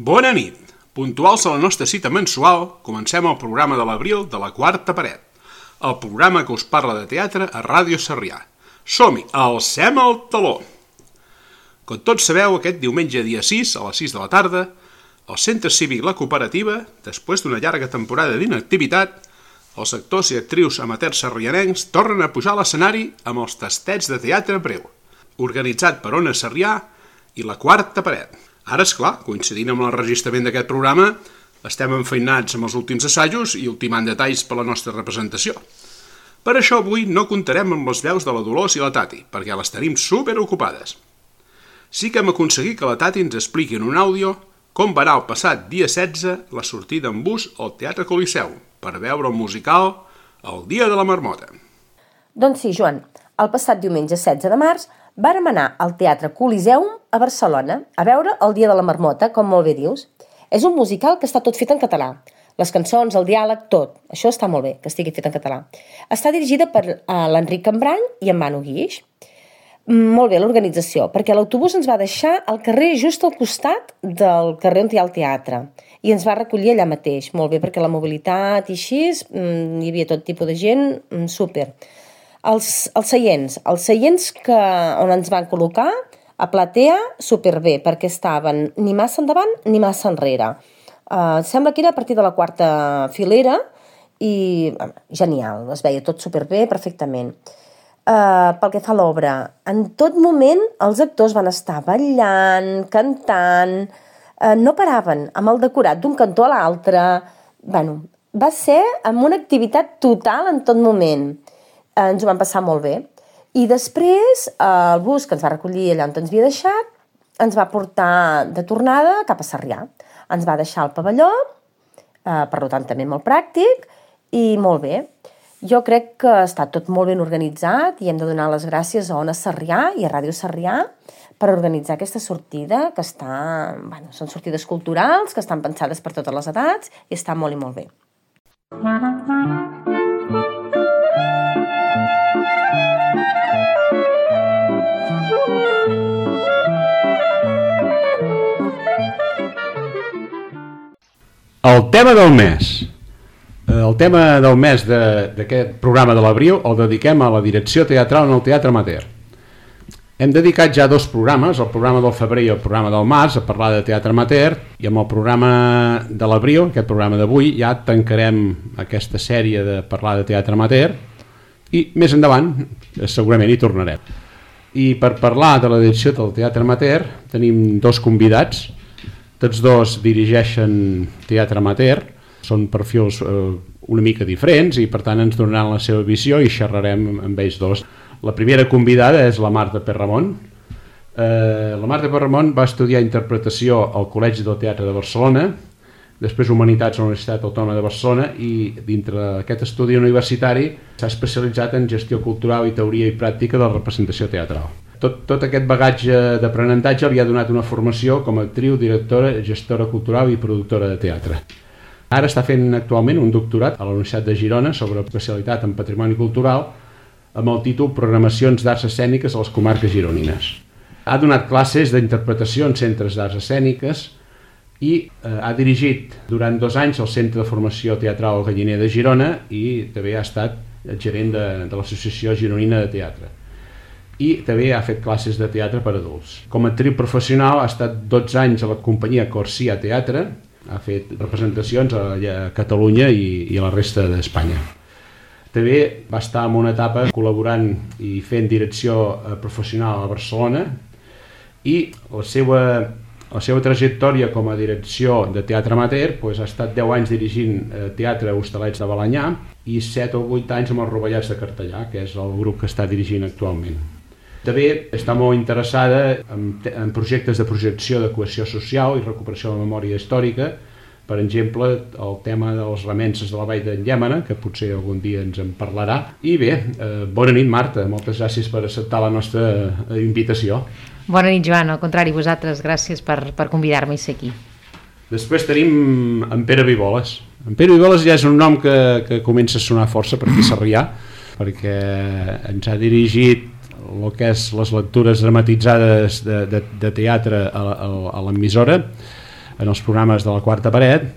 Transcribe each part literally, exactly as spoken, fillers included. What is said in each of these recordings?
Bona nit. Puntuals a la nostra cita mensual, comencem el programa de l'abril de la Quarta Paret, el programa que us parla de teatre a Ràdio Sarrià. Som-hi, alcem el taló! Com tots sabeu, aquest diumenge dia sis, a les sis de la tarda, al Centre Cívic La Cooperativa, després d'una llarga temporada d'inactivitat, els actors i actrius amateurs sarrianencs tornen a pujar a l'escenari amb els tastets de teatre breu, organitzat per Ona Sarrià i la Quarta Paret. Ara, esclar, coincidint amb l'enregistrament d'aquest programa, estem enfeinats amb els últims assajos i ultimant detalls per la nostra representació. Per això avui no comptarem amb les veus de la Dolors i la Tati, perquè les tenim superocupades. Sí que hem aconseguit que la Tati ens expliqui en un àudio com va anar el passat dia setze la sortida en bus al Teatre Coliseu per veure el musical El dia de la marmota. Doncs sí, Joan, el passat diumenge setze de març vàrem anar al Teatre Coliseum a Barcelona a veure El dia de la marmota, com molt bé dius. És un musical que està tot fet en català. Les cançons, el diàleg, tot. Això està molt bé, que estigui fet en català. Està dirigida per uh, l'Enric Cambrany i en Manu Guix. Molt bé l'organització, perquè l'autobús ens va deixar al carrer just al costat del carrer on hi ha el teatre i ens va recollir allà mateix. Molt bé, perquè la mobilitat i així, hi havia tot tipus de gent, super. Els, els seients, els seients que, on ens van col·locar, a platea, superbé, perquè estaven ni massa endavant ni massa enrere. Uh, sembla que era a partir de la quarta filera i uh, genial, es veia tot superbé, perfectament. Uh, pel que fa a l'obra, en tot moment els actors van estar ballant, cantant, uh, no paraven, amb el decorat d'un cantó a l'altre. Bueno, va ser amb una activitat total en tot moment. Uh, ens ho vam passar molt bé. I després uh, el bus que ens va recollir allà on ens havia deixat ens va portar de tornada cap a Sarrià. Ens va deixar al pavelló, uh, per tant també molt pràctic i molt bé. Jo crec que està tot molt ben organitzat i hem de donar les gràcies a Ona Sarrià i a Ràdio Sarrià per organitzar aquesta sortida, que està, bueno, són sortides culturals, que estan pensades per totes les edats i està molt i molt bé. El tema del mes. El tema del mes d'aquest programa de l'abril el dediquem a la direcció teatral en el Teatre Amateur. Hem dedicat ja dos programes, el programa del febrer i el programa del març, a parlar de teatre amateur, i amb el programa de l'abril, aquest programa d'avui, ja tancarem aquesta sèrie de parlar de teatre amateur i més endavant segurament hi tornarem. I per parlar de la direcció del teatre amateur tenim dos convidats. Tots dos dirigeixen teatre amateur, són perfils eh, una mica diferents i per tant ens donaran la seva visió i xerrarem amb ells dos. La primera convidada és la Marta Perramon. Eh, la Marta Perramon va estudiar interpretació al Col·legi del Teatre de Barcelona, després Humanitats a la Universitat Autònoma de Barcelona i dintre d'aquest estudi universitari s'ha especialitzat en gestió cultural i teoria i pràctica de la representació teatral. Tot, tot aquest bagatge d'aprenentatge li ha donat una formació com a actriu, directora, gestora cultural i productora de teatre. Ara està fent actualment un doctorat a la Universitat de Girona sobre especialitat en patrimoni cultural amb el títol Programacions d'Arts Escèniques a les comarques gironines. Ha donat classes d'interpretació en centres d'arts escèniques i eh, ha dirigit durant dos anys el Centre de Formació Teatral El Galliner de Girona i també ha estat gerent de, de l'Associació Gironina de Teatre. I també ha fet classes de teatre per adults. Com a actriu professional ha estat dotze anys a la companyia Corsia Teatre, ha fet representacions a, a Catalunya i, i a la resta d'Espanya. També va estar en una etapa col·laborant i fent direcció professional a Barcelona i la seva, la seva trajectòria com a direcció de teatre amateur doncs, ha estat deu anys dirigint teatre a Hostalets de Balenyà i set o vuit anys amb els Rovellats de Cartellà, que és el grup que està dirigint actualment. També està molt interessada en, en projectes de projecció de cohesió social i recuperació de la memòria històrica, per exemple, el tema dels remenses de la Vall d'en Llémena, que potser algun dia ens en parlarà. I bé, eh, bona nit, Marta, moltes gràcies per acceptar la nostra invitació. Bona nit, Joan, al contrari, vosaltres, gràcies per, per convidar-me a ser aquí. Després tenim en Pere Viboles. En Pere Viboles ja és un nom que, que comença a sonar força per aquí a Sarrià, perquè ens ha dirigit el que és les lectures dramatitzades de, de, de teatre a, a, a l'emissora. en els programes de la Quarta Paret,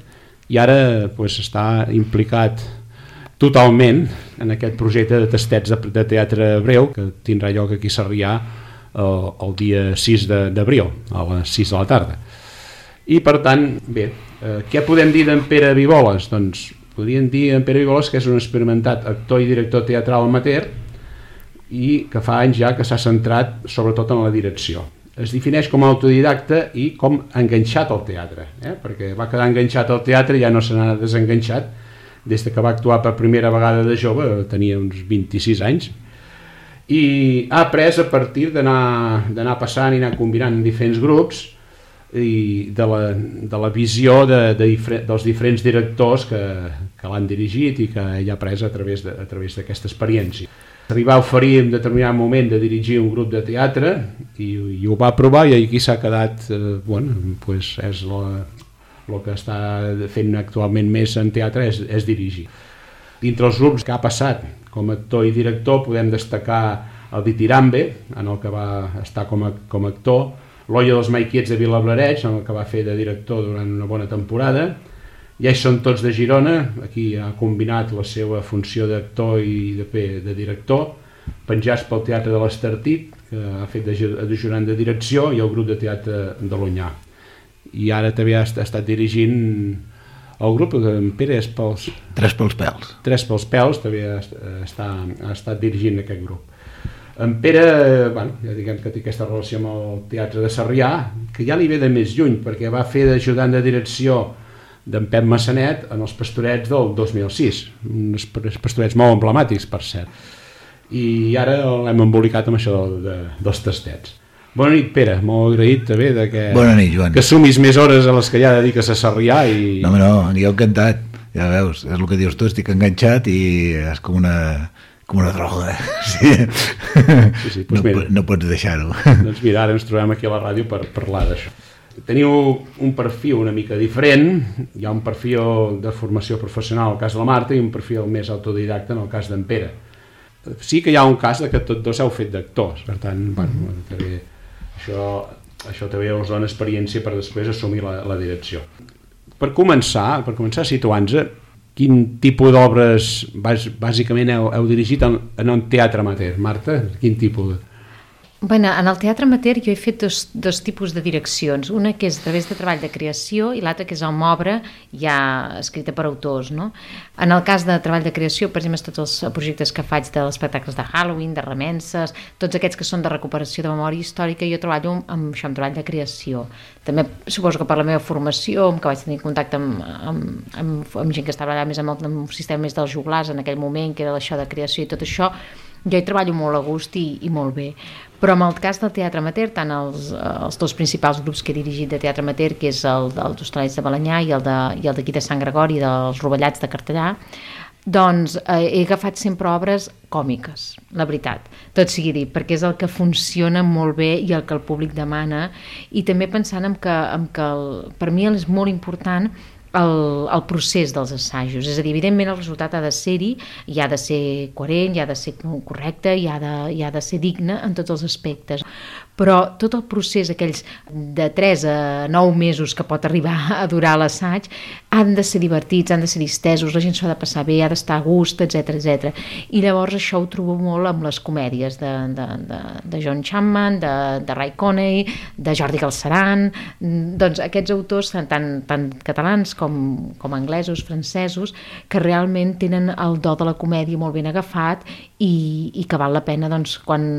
i ara pues, està implicat totalment en aquest projecte de tastets de, de teatre breu que tindrà lloc aquí a Sarrià el, el dia sis d'abril a les sis de la tarda. I per tant, bé, eh, què podem dir d'en Pere Vivoles? Doncs podríem dir en Pere Vivoles que és un experimentat actor i director teatral amateur i que fa anys ja que s'ha centrat sobretot en la direcció. Es defineix com a autodidacta i com enganxat al teatre, eh? perquè va quedar enganxat al teatre i ja no se n'ha desenganxat des que va actuar per primera vegada de jove, tenia uns vint-i-sis anys, i ha après a partir d'anar passant i anar combinant diferents grups i de la, de la visió de, de difer dels diferents directors que, que l'han dirigit i que ell ha après a través d'aquesta experiència. Arribar a oferir en determinat moment de dirigir un grup de teatre i, i ho va provar i aquí s'ha quedat, eh, bueno, pues és el que està fent actualment més en teatre és, és dirigir. Dintre els grups que ha passat com a actor i director podem destacar el Ditirambe, en el que va estar com a, com a actor, l'Olla dels Maiquiets de Vilablareig, en el que va fer de director durant una bona temporada. Ja hi són tots de Girona, aquí ha combinat la seva funció d'actor i de, de director, penjats pel Teatre de l'Estartit, que ha fet d'ajudant de direcció, i el grup de teatre de l'Onyar. I ara també ha estat dirigint el grup, que en Pere és pels... Tres pels pèls. Tres pels pèls, també ha, està, ha estat dirigint aquest grup. En Pere, bueno, ja diguem que té aquesta relació amb el Teatre de Sarrià, que ja li ve de més lluny, perquè va fer d'ajudant de direcció d'en Pep Massanet en els Pastorets del dos mil sis, uns pastorets molt emblemàtics, per cert. I ara l'hem embolicat amb això de, de, dels tastets. Bona nit, Pere, molt agraït també de que, Bona nit, Joan. que sumis més hores a les que ja dediques a Sarrià. I... No, no, jo encantat, ja veus, és el que dius tu, estic enganxat i és com una, com una droga. Sí. Sí, sí, doncs no, mira, no pots deixar-ho. Doncs mira, ara ens trobem aquí a la ràdio per parlar d'això. Teniu un perfil una mica diferent, hi ha un perfil de formació professional al cas de la Marta i un perfil més autodidacta en el cas d'en Pere. Sí que hi ha un cas de que tots dos heu fet d'actors, per tant, bueno, també, això, això també us dona experiència per després assumir la, la direcció. Per començar, per començar situant-nos, quin tipus d'obres bàsicament heu, heu dirigit en, en un teatre amateur? Marta, quin tipus? Bueno, en el teatre amateur jo he fet dos, dos tipus de direccions, una que és a través de treball de creació i l'altra que és amb obra ja escrita per autors, no? En el cas de treball de creació, per exemple, tots els projectes que faig dels espectacles de Halloween, de remenses, tots aquests que són de recuperació de memòria històrica, jo treballo amb això, amb treball de creació. També suposo que per la meva formació, que vaig tenir contacte amb, amb, amb, amb gent que estava allà més amb el, amb el sistema més dels joglars en aquell moment, que era això de creació i tot això, jo hi treballo molt a gust i, i molt bé. Però en el cas del teatre amateur, tant els, els dos principals grups que he dirigit de teatre amateur, que és el dels Hostalets de Balenyà i el d'aquí de, de Sant Gregori, dels Rovellats de Cartellà, doncs eh, he agafat sempre obres còmiques, la veritat, tot sigui dit, perquè és el que funciona molt bé i el que el públic demana, i també pensant en que, en que el, per mi és molt important El, el procés dels assajos, és a dir, evidentment el resultat ha de ser-hi, i ha de ser coherent, i ha de ser correcte, i ha de, i ha de ser digne en tots els aspectes, però tot el procés, aquells de tres a nou mesos que pot arribar a durar l'assaig, han de ser divertits, han de ser distesos, la gent s'ha de passar bé, ha d'estar a gust, etcètera, etcètera. I llavors això ho trobo molt amb les comèdies de, de, de, de John Chapman, de, de Ray Coney, de Jordi Galceran, doncs aquests autors tant, tant, tant catalans com, com anglesos, francesos, que realment tenen el do de la comèdia molt ben agafat i, i que val la pena, doncs, quan,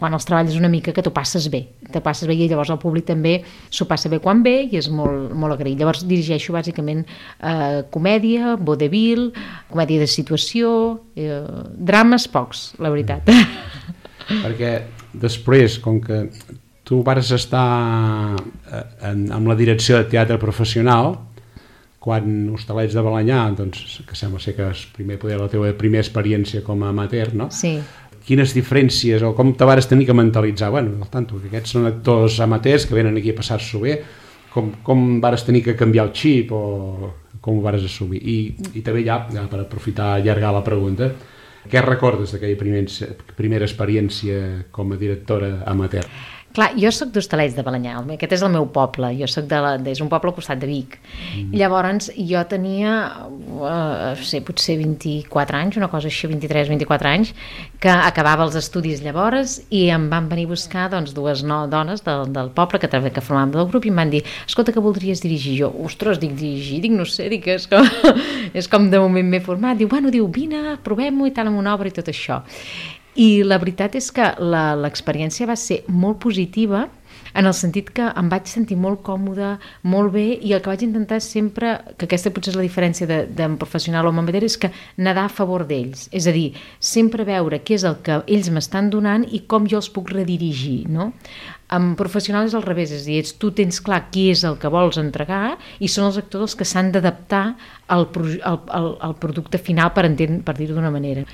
quan els treballes una mica, que t'ho passes bé, te passes bé, i llavors el públic també s'ho passa bé quan ve i és molt, molt agraït. Llavors dirigeixo bàsicament eh, comèdia, vodevil, comèdia de situació, eh, drames pocs, la veritat. Perquè després, com que tu vas estar en, amb la direcció de teatre professional, quan Hostalets de Balenyà, doncs, que sembla ser que és primer poder la teva primera experiència com a amateur, no? Sí. Quines diferències o com te vares tenir que mentalitzar? Bueno, al tanto, que aquests són actors amateurs que venen aquí a passar-s'ho bé, com, com vares tenir que canviar el xip o com ho vares assumir? I, i també ja, ja, per aprofitar i allargar la pregunta, què recordes d'aquella primer, primera experiència com a directora amateur? Clar, jo sóc d'Hostalets de Balenyà, aquest és el meu poble, jo soc de la, és un poble al costat de Vic. Mm. Llavors jo tenia, uh, sé, potser vint-i-quatre anys, una cosa així, vint-i-tres, vint-i-quatre anys, que acabava els estudis llavors i em van venir a buscar doncs, dues no, dones del, del poble que, que formàvem del grup i em van dir, escolta, que voldries dirigir? Jo, ostres, dic, dirigir? Dic, no sé, dic, és com, és com de moment m'he format. Diu, bueno, diu, vine, provem-ho i tal, amb una obra i tot això. I la veritat és que l'experiència va ser molt positiva en el sentit que em vaig sentir molt còmoda, molt bé, i el que vaig intentar sempre, que aquesta potser és la diferència de, de professional o amateur, és que nedar a favor d'ells, és a dir, sempre veure què és el que ells m'estan donant i com jo els puc redirigir, no? Amb professional és al revés, és a dir, tu tens clar qui és el que vols entregar i són els actors els que s'han d'adaptar al, al, al, al producte final, per, per dir-ho d'una manera.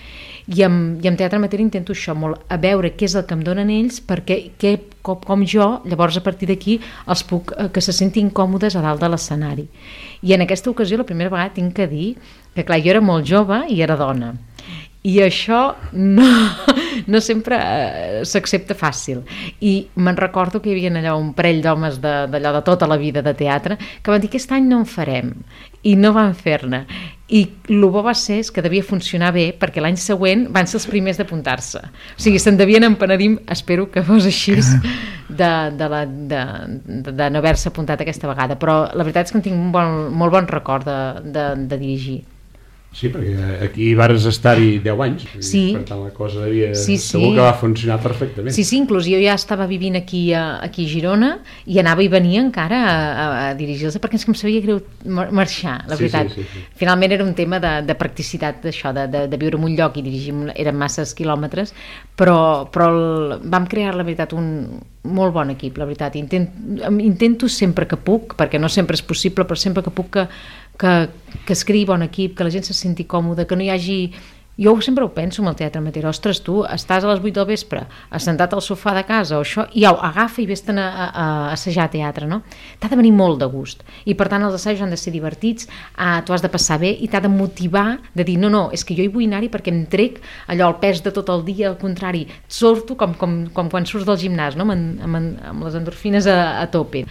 I amb, i amb teatre amateur intento això molt, a veure què és el que em donen ells, perquè què, com, com jo, llavors a partir d'aquí els puc, que se sentin còmodes a dalt de l'escenari. I en aquesta ocasió, la primera vegada tinc que dir que clar, jo era molt jove i era dona. I això no, no sempre eh, s'accepta fàcil. I me'n recordo que hi havia allò un parell d'homes d'allò de tota la vida de teatre que van dir que aquest any no en farem, i no van fer-ne. I el bo va ser és que devia funcionar bé, perquè l'any següent van ser els primers d'apuntar-se. O sigui, se'n devien empenedir, espero que fos així, de, de, la, de, de, de no haver-se apuntat aquesta vegada. Però la veritat és que en tinc un bon, molt bon record de, de, de dirigir. Sí, perquè aquí vares estar-hi deu anys, sí. Per tant la cosa devia... Sí, sí. Segur que va funcionar perfectament. Sí, sí, inclús jo ja estava vivint aquí a, aquí a Girona i anava i venia encara a, a, a dirigir-los perquè és que em sabia greu marxar, la sí, veritat. Sí, sí, sí. Finalment era un tema de, de practicitat d'això, de, de, de viure en un lloc i dirigir, eren masses quilòmetres, però, però el, vam crear, la veritat, un molt bon equip, la veritat. Intent, intento sempre que puc, perquè no sempre és possible, però sempre que puc que Que, que es creï bon equip, que la gent se senti còmoda, que no hi hagi... Jo sempre ho penso amb el teatre amateur, ostres, tu estàs a les vuit del vespre assentat al sofà de casa o això, i au, agafa i vés-te'n a, a, a assajar teatre, no? T'ha de venir molt de gust, i per tant els assajos han de ser divertits, ah, tu has de passar bé i t'ha de motivar, de dir, no, no, és que jo hi vull anar-hi perquè em trec allò, el pes de tot el dia, al contrari, surto com, com, com quan surts del gimnàs, no? amb, amb, amb les endorfines a, a tope,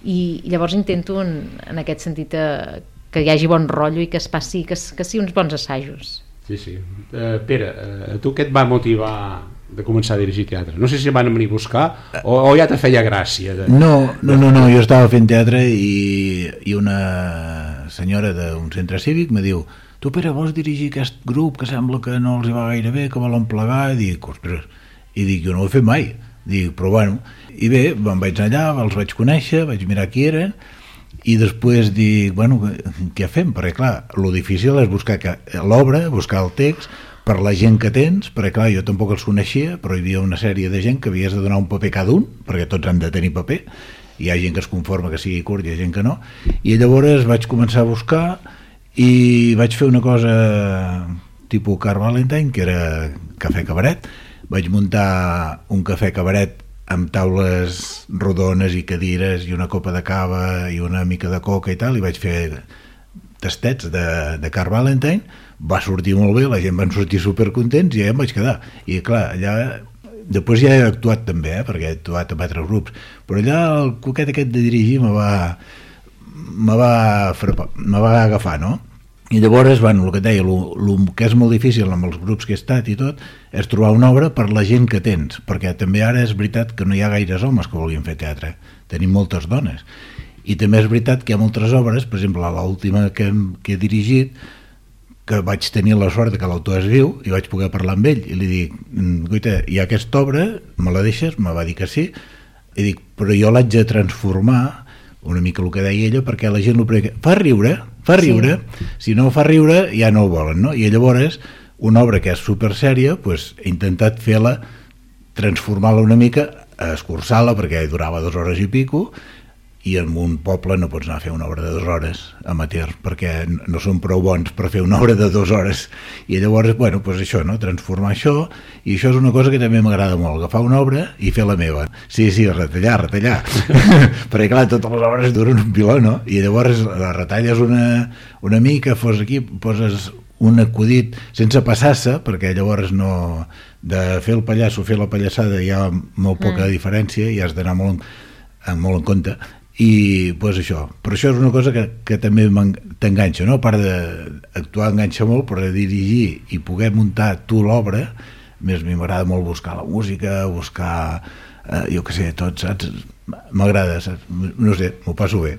i llavors intento en, en aquest sentit eh, que hi hagi bon rotllo i que es passi, que, que sigui uns bons assajos. Sí, sí. Uh, Pere, uh, tu què et va motivar de començar a dirigir teatre? No sé si van venir a buscar o, o ja te feia gràcia. De, no, no, no, no, jo estava fent teatre i, i una senyora d'un centre cívic me diu, tu Pere, vols dirigir aquest grup que sembla que no els va gaire bé, que volen plegar? I dic, ostres, i dic, jo no ho he fet mai. Dic, però bueno, i bé, me'n vaig allà, els vaig conèixer, vaig mirar qui eren, i després dic, bueno, què fem? Perquè clar, lo difícil és buscar l'obra, buscar el text per la gent que tens, perquè clar, jo tampoc els coneixia, però hi havia una sèrie de gent que havies de donar un paper cada un, perquè tots han de tenir paper, hi ha gent que es conforma que sigui curt i hi ha gent que no, i llavors vaig començar a buscar i vaig fer una cosa tipus Car Valentine, que era cafè cabaret. Vaig muntar un cafè cabaret amb taules rodones i cadires i una copa de cava i una mica de coca i tal, i vaig fer tastets de, de Car Valentine. Va sortir molt bé, la gent van sortir supercontents i ja em vaig quedar. I clar, allà després ja he actuat també, eh, perquè he actuat amb altres grups, però allà el coquet aquest de dirigir me va me va, frapar, me va agafar, no? I llavors, bueno, el que et deia, el que és molt difícil amb els grups que he estat i tot, és trobar una obra per la gent que tens, perquè també ara és veritat que no hi ha gaires homes que vulguin fer teatre, tenim moltes dones. I també és veritat que hi ha moltes obres, per exemple, l'última que, que he dirigit, que vaig tenir la sort que l'autor és viu i vaig poder parlar amb ell, i li dic, guaita, hi ha aquesta obra, me la deixes? Me va dir que sí, i dic, però jo l'haig de transformar, una mica el que deia ella, perquè la gent fa riure, fa riure, sí. Si no fa riure ja no ho volen, no? I llavors una obra que és super sèria, pues, he intentat fer-la, transformar-la una mica, escurçar-la perquè durava dues hores i pico, i en un poble no pots anar a fer una obra de dues hores amateur, perquè no són prou bons per fer una obra de dues hores, i llavors, bueno, pues això, no? Transformar això, i això és una cosa que també m'agrada molt, agafar una obra i fer la meva. Sí, sí, retallar, retallar, perquè clar, totes les obres duren un piló, no? I llavors la retalles una, una mica, fos aquí, poses un acudit sense passar-se, perquè llavors no, de fer el pallasso, fer la pallassada hi ha molt poca mm. diferència i has d'anar molt, molt en compte i pues això, però això és una cosa que, que també t'enganxa, no? A part d'actuar enganxa molt, però de dirigir i poder muntar tu l'obra, més mi m'agrada molt buscar la música, buscar eh, jo què sé, tot, saps? M'agrada, saps? No sé, m'ho passo bé.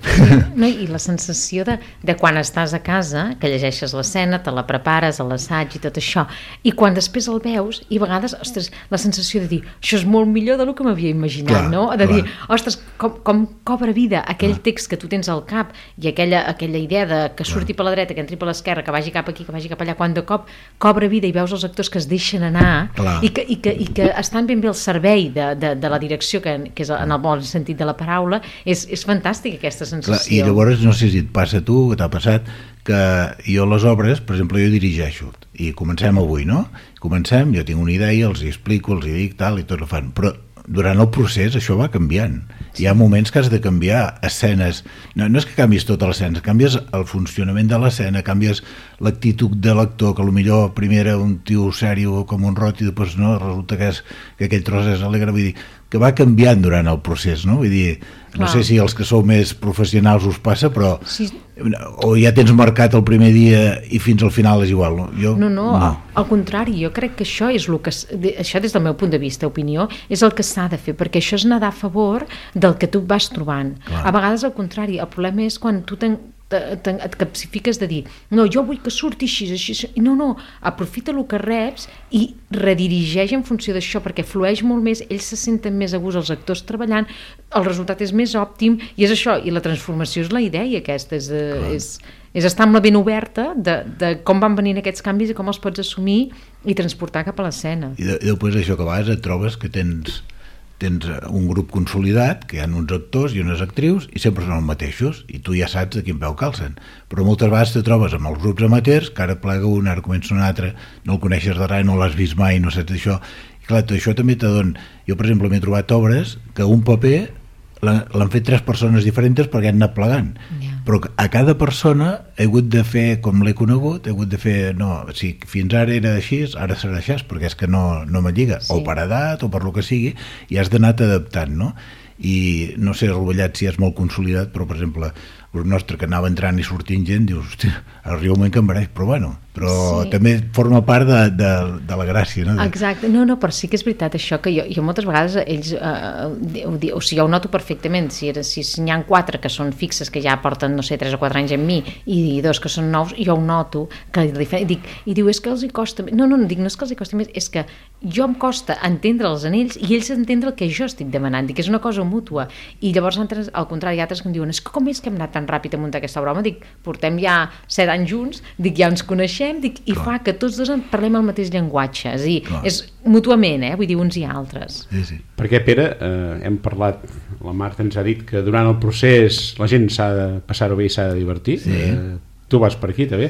No, i la sensació de, de quan estàs a casa, que llegeixes l'escena, te la prepares a l'assaig i tot això, i quan després el veus, i a vegades, ostres, la sensació de dir, això és molt millor del que m'havia imaginat, clar, no? De clar. Dir, ostres, com, com cobra vida aquell clar. Text que tu tens al cap i aquella, aquella idea de que surti clar. Per la dreta, que entri per l'esquerra, que vagi cap aquí, que vagi cap allà, quan de cop cobra vida i veus els actors que es deixen anar i que, i, que, i que estan ben bé al servei de, de, de la direcció, que, que és en el bon sentit de la paraula, és, és fantàstica aquesta sensació. Clar, i llavors no sé si et passa a tu, que t'ha passat, que jo les obres, per exemple, jo dirigeixo i comencem avui, no? Comencem, jo tinc una idea, els hi explico, els hi dic, tal, i tot ho fan, però durant el procés això va canviant. Hi ha moments que has de canviar escenes, no, no és que canvis tota l'escena, canvies el funcionament de l'escena, canvies l'actitud de l'actor, que potser primer era un tio sèrio com un rot i després no, resulta que, és, que aquell tros és alegre, vull dir, que va canviant durant el procés, no? Vull dir, no sé si els que sou més professionals us passa, però sí. O ja tens marcat el primer dia i fins al final és igual, no? Jo, no, no, no, al contrari, jo crec que això és el que, això des del meu punt de vista, opinió, és el que s'ha de fer, perquè això és nedar a favor del que tu vas trobant. Clar. A vegades al contrari, el problema és quan tu ten, ten, et capsifiques de dir, no, jo vull que surti així, així, així. No, no, aprofita el que reps i redirigeix en funció d'això, perquè flueix molt més, ells se senten més a gust, els actors treballant, el resultat és més òptim, i és això, i la transformació és la idea aquesta, és, és, és estar amb la ben oberta de, de com van venint aquests canvis i com els pots assumir i transportar cap a l'escena. I, de, i després això que a vegades et trobes que tens, tens un grup consolidat, que hi ha uns actors i unes actrius, i sempre són els mateixos, i tu ja saps de quin peu calcen. Però moltes vegades te trobes amb els grups amateurs, que ara plega un, ara comença un altre, no el coneixes de res, no l'has vist mai, no saps això. I clar, això també te dona... Jo, per exemple, m'he trobat obres que un paper l'han fet tres persones diferents perquè han anat plegant. Yeah. Però a cada persona he hagut de fer com l'he conegut, he hagut de fer, no, si fins ara era així, ara serà així, perquè és que no, no me lliga, sí. O per edat o per lo que sigui, i has d'anar adaptant, no? I no sé, el Rovellat si és molt consolidat, però per exemple, el nostre que anava entrant i sortint gent, dius, hòstia, arriba un moment que em mereix, però bueno, però sí. També forma part de, de, de la gràcia, no? Exacte, no, no, però sí que és veritat això, que jo, jo moltes vegades ells, eh, o, o sigui, jo ho noto perfectament, si, era, si n'hi ha quatre que són fixes, que ja porten, no sé, tres o quatre anys amb mi, i dos que són nous, jo ho noto, que dic, i diu, és que els hi costa, no, no, no dic, no és que els hi costa més, és que jo em costa entendre els anells i ells entendre el que jo estic demanant, dic, és una cosa mútua, i llavors altres, al contrari, altres que em diuen, és que com és que hem anat tan ràpid a muntar aquesta broma, dic, portem ja set anys junts, dic, ja ens coneixem, dic, i clar. Fa que tots dos parlem el mateix llenguatge, és a dir, clar. És mútuament, eh? Vull dir, uns i altres. Sí, sí. Perquè, Pere, eh, hem parlat, la Marta ens ha dit que durant el procés la gent s'ha de passar-ho bé i s'ha de divertir, sí. eh, tu vas per aquí també.